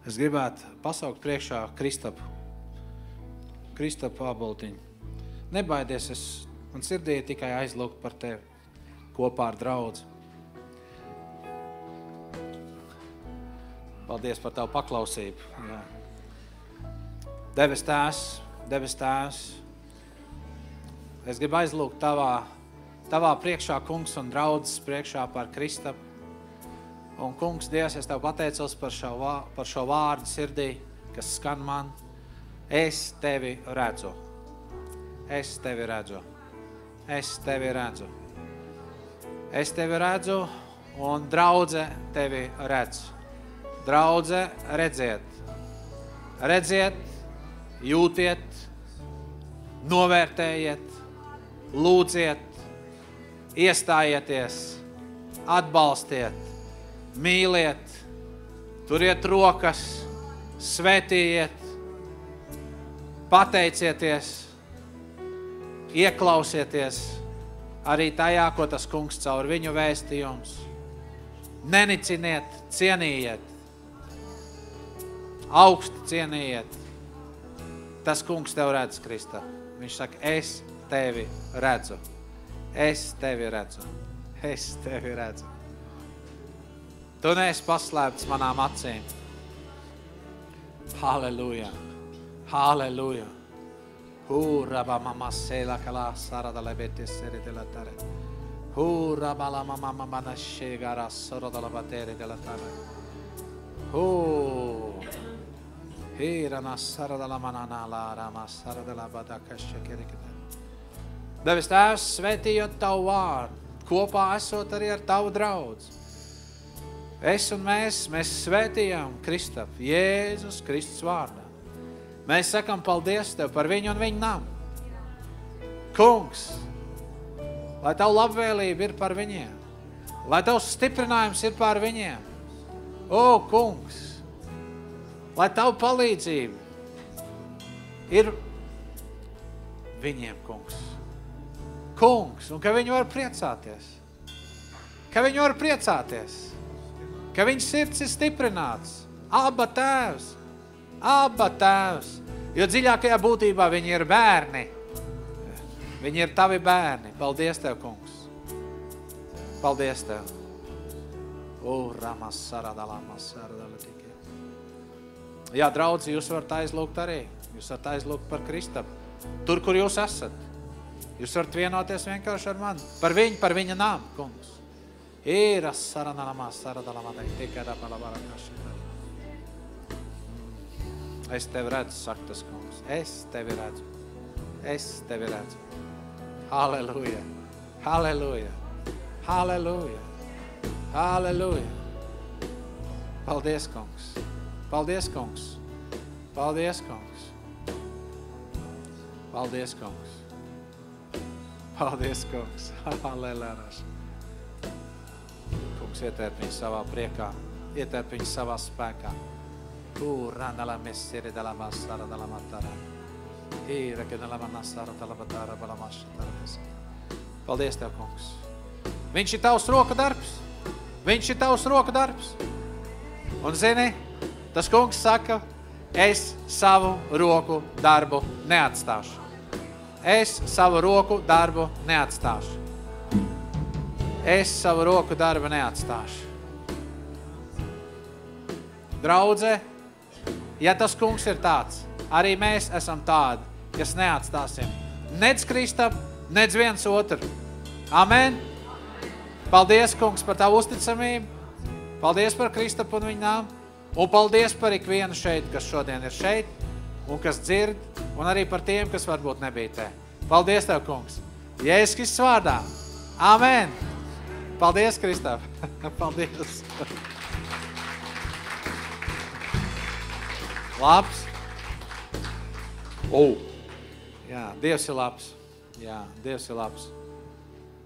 [SPEAKER 1] Es gribētu pasaukt priekšā Kristapu Aboltiņu. Nebaidies, man sirdī tikai aizlūgt par tevi kopā ar draudzi. Paldies par tavu paklausību. Jā. Debes Tēvs, es gribu aizlūgt tavā priekšā, kungs, un draudzes priekšā par Kristapu. Un, kungs, Dievs, es Tev pateicos par šo vārdu sirdī, kas skan man. Es Tevi redzu. Es Tevi redzu. Es Tevi redzu. Es Tevi redzu, un draudze Tevi redz. Draudze, redziet. Redziet, jūtiet, novērtējiet, lūdziet, iestājieties, atbalstiet. Mīliet, turiet rokas, svētījiet, pateicieties, ieklausieties arī tajā, ko tas kungs caur viņu vēsti jums. Neniciniet, cienījiet, augsti cienījiet. Tas kungs tev redz, Krista. Viņš saka, es tevi redzu. Es tevi redzu. Es tevi redzu. Tu neesi paslēpts manām acīm. Halleluja. Halleluja. Hurraba mama sela kala sarada lebetes seritela tare. Hura balama mama mana shegara sorodala batere della tara. Hira nasara della manana la rama sara della badaka shekerikata. Devis Tēvs, svētījot Tavu vārdu, kopā esot arī ar Tavu draudzi. Es un mēs svētījām Kristapu, Jēzus Kristus vārdā. Mēs sakam paldies Tev par viņu un viņu namu. Kungs, lai Tavu labvēlība ir par viņiem, lai Tavs stiprinājums ir par viņiem. O, Kungs, lai Tavu palīdzība ir viņiem, Kungs. Kungs, un ka viņi var priecāties. Ka viņi var priecāties. Ka viņas sirds ir stiprināts. Abba Tēvs. Abba Tēvs. Jo dziļākajā būtībā viņi ir bērni. Viņi ir Tavi bērni. Paldies Tev, Kungs. Paldies Tev. Ramas saradalamas saradalatikē. Jā, draudzi, jūs varat aizlūgt arī. Jūs varat aizlūgt par Kristapu. Tur, kur jūs esat. Jūs varat vienoties vienkārši ar mani. Par viņu, par viņa nāmu, Kungs. Īras saranalamas saradalamadai. Tikai rapalabarakašitā. Es Tevi redzu, saka tas, Kungs. Es Tevi redzu. Es Tevi redzu. Halleluja. Halleluja. Halleluja. Halleluja. Paldies, Kungs. Paldies, Kungs. Paldies, Kungs. Paldies, Kungs. Paldies, Kungs. Halleluja. Kungs, ietērp viņu savā priekā. Ietērp viņu savā spēkā. Ranala messere dalla massara dalla matara. Ira che dalla massara dalla batara dalla massara. Paldies Tev, Kungs. Viņš ir Tavs roku darbs. Viņš ir Tavs roku darbs. Un zini, tas Kungs saka, es savu roku darbu neatstāšu. Es savu roku darbu neatstāšu. Es savu roku darbu neatstāšu. Draudze, ja tas Kungs ir tāds, arī mēs esam tādi, kas neatstāsim nec Kristapu, nec viens otru. Amen. Paldies, Kungs, par Tavu uzticamību. Paldies par Kristapu un viņa nāmu. Un paldies par ikvienu šeit, kas šodien ir šeit un kas dzird, un arī par tiem, kas varbūt nebija te. Paldies Tev, Kungs. Jēzus Kristus vārdā. Amen. Paldies, Kristap. Paldies. Labs. Jā, Dievs ir labs. Jā, Dievs ir labs.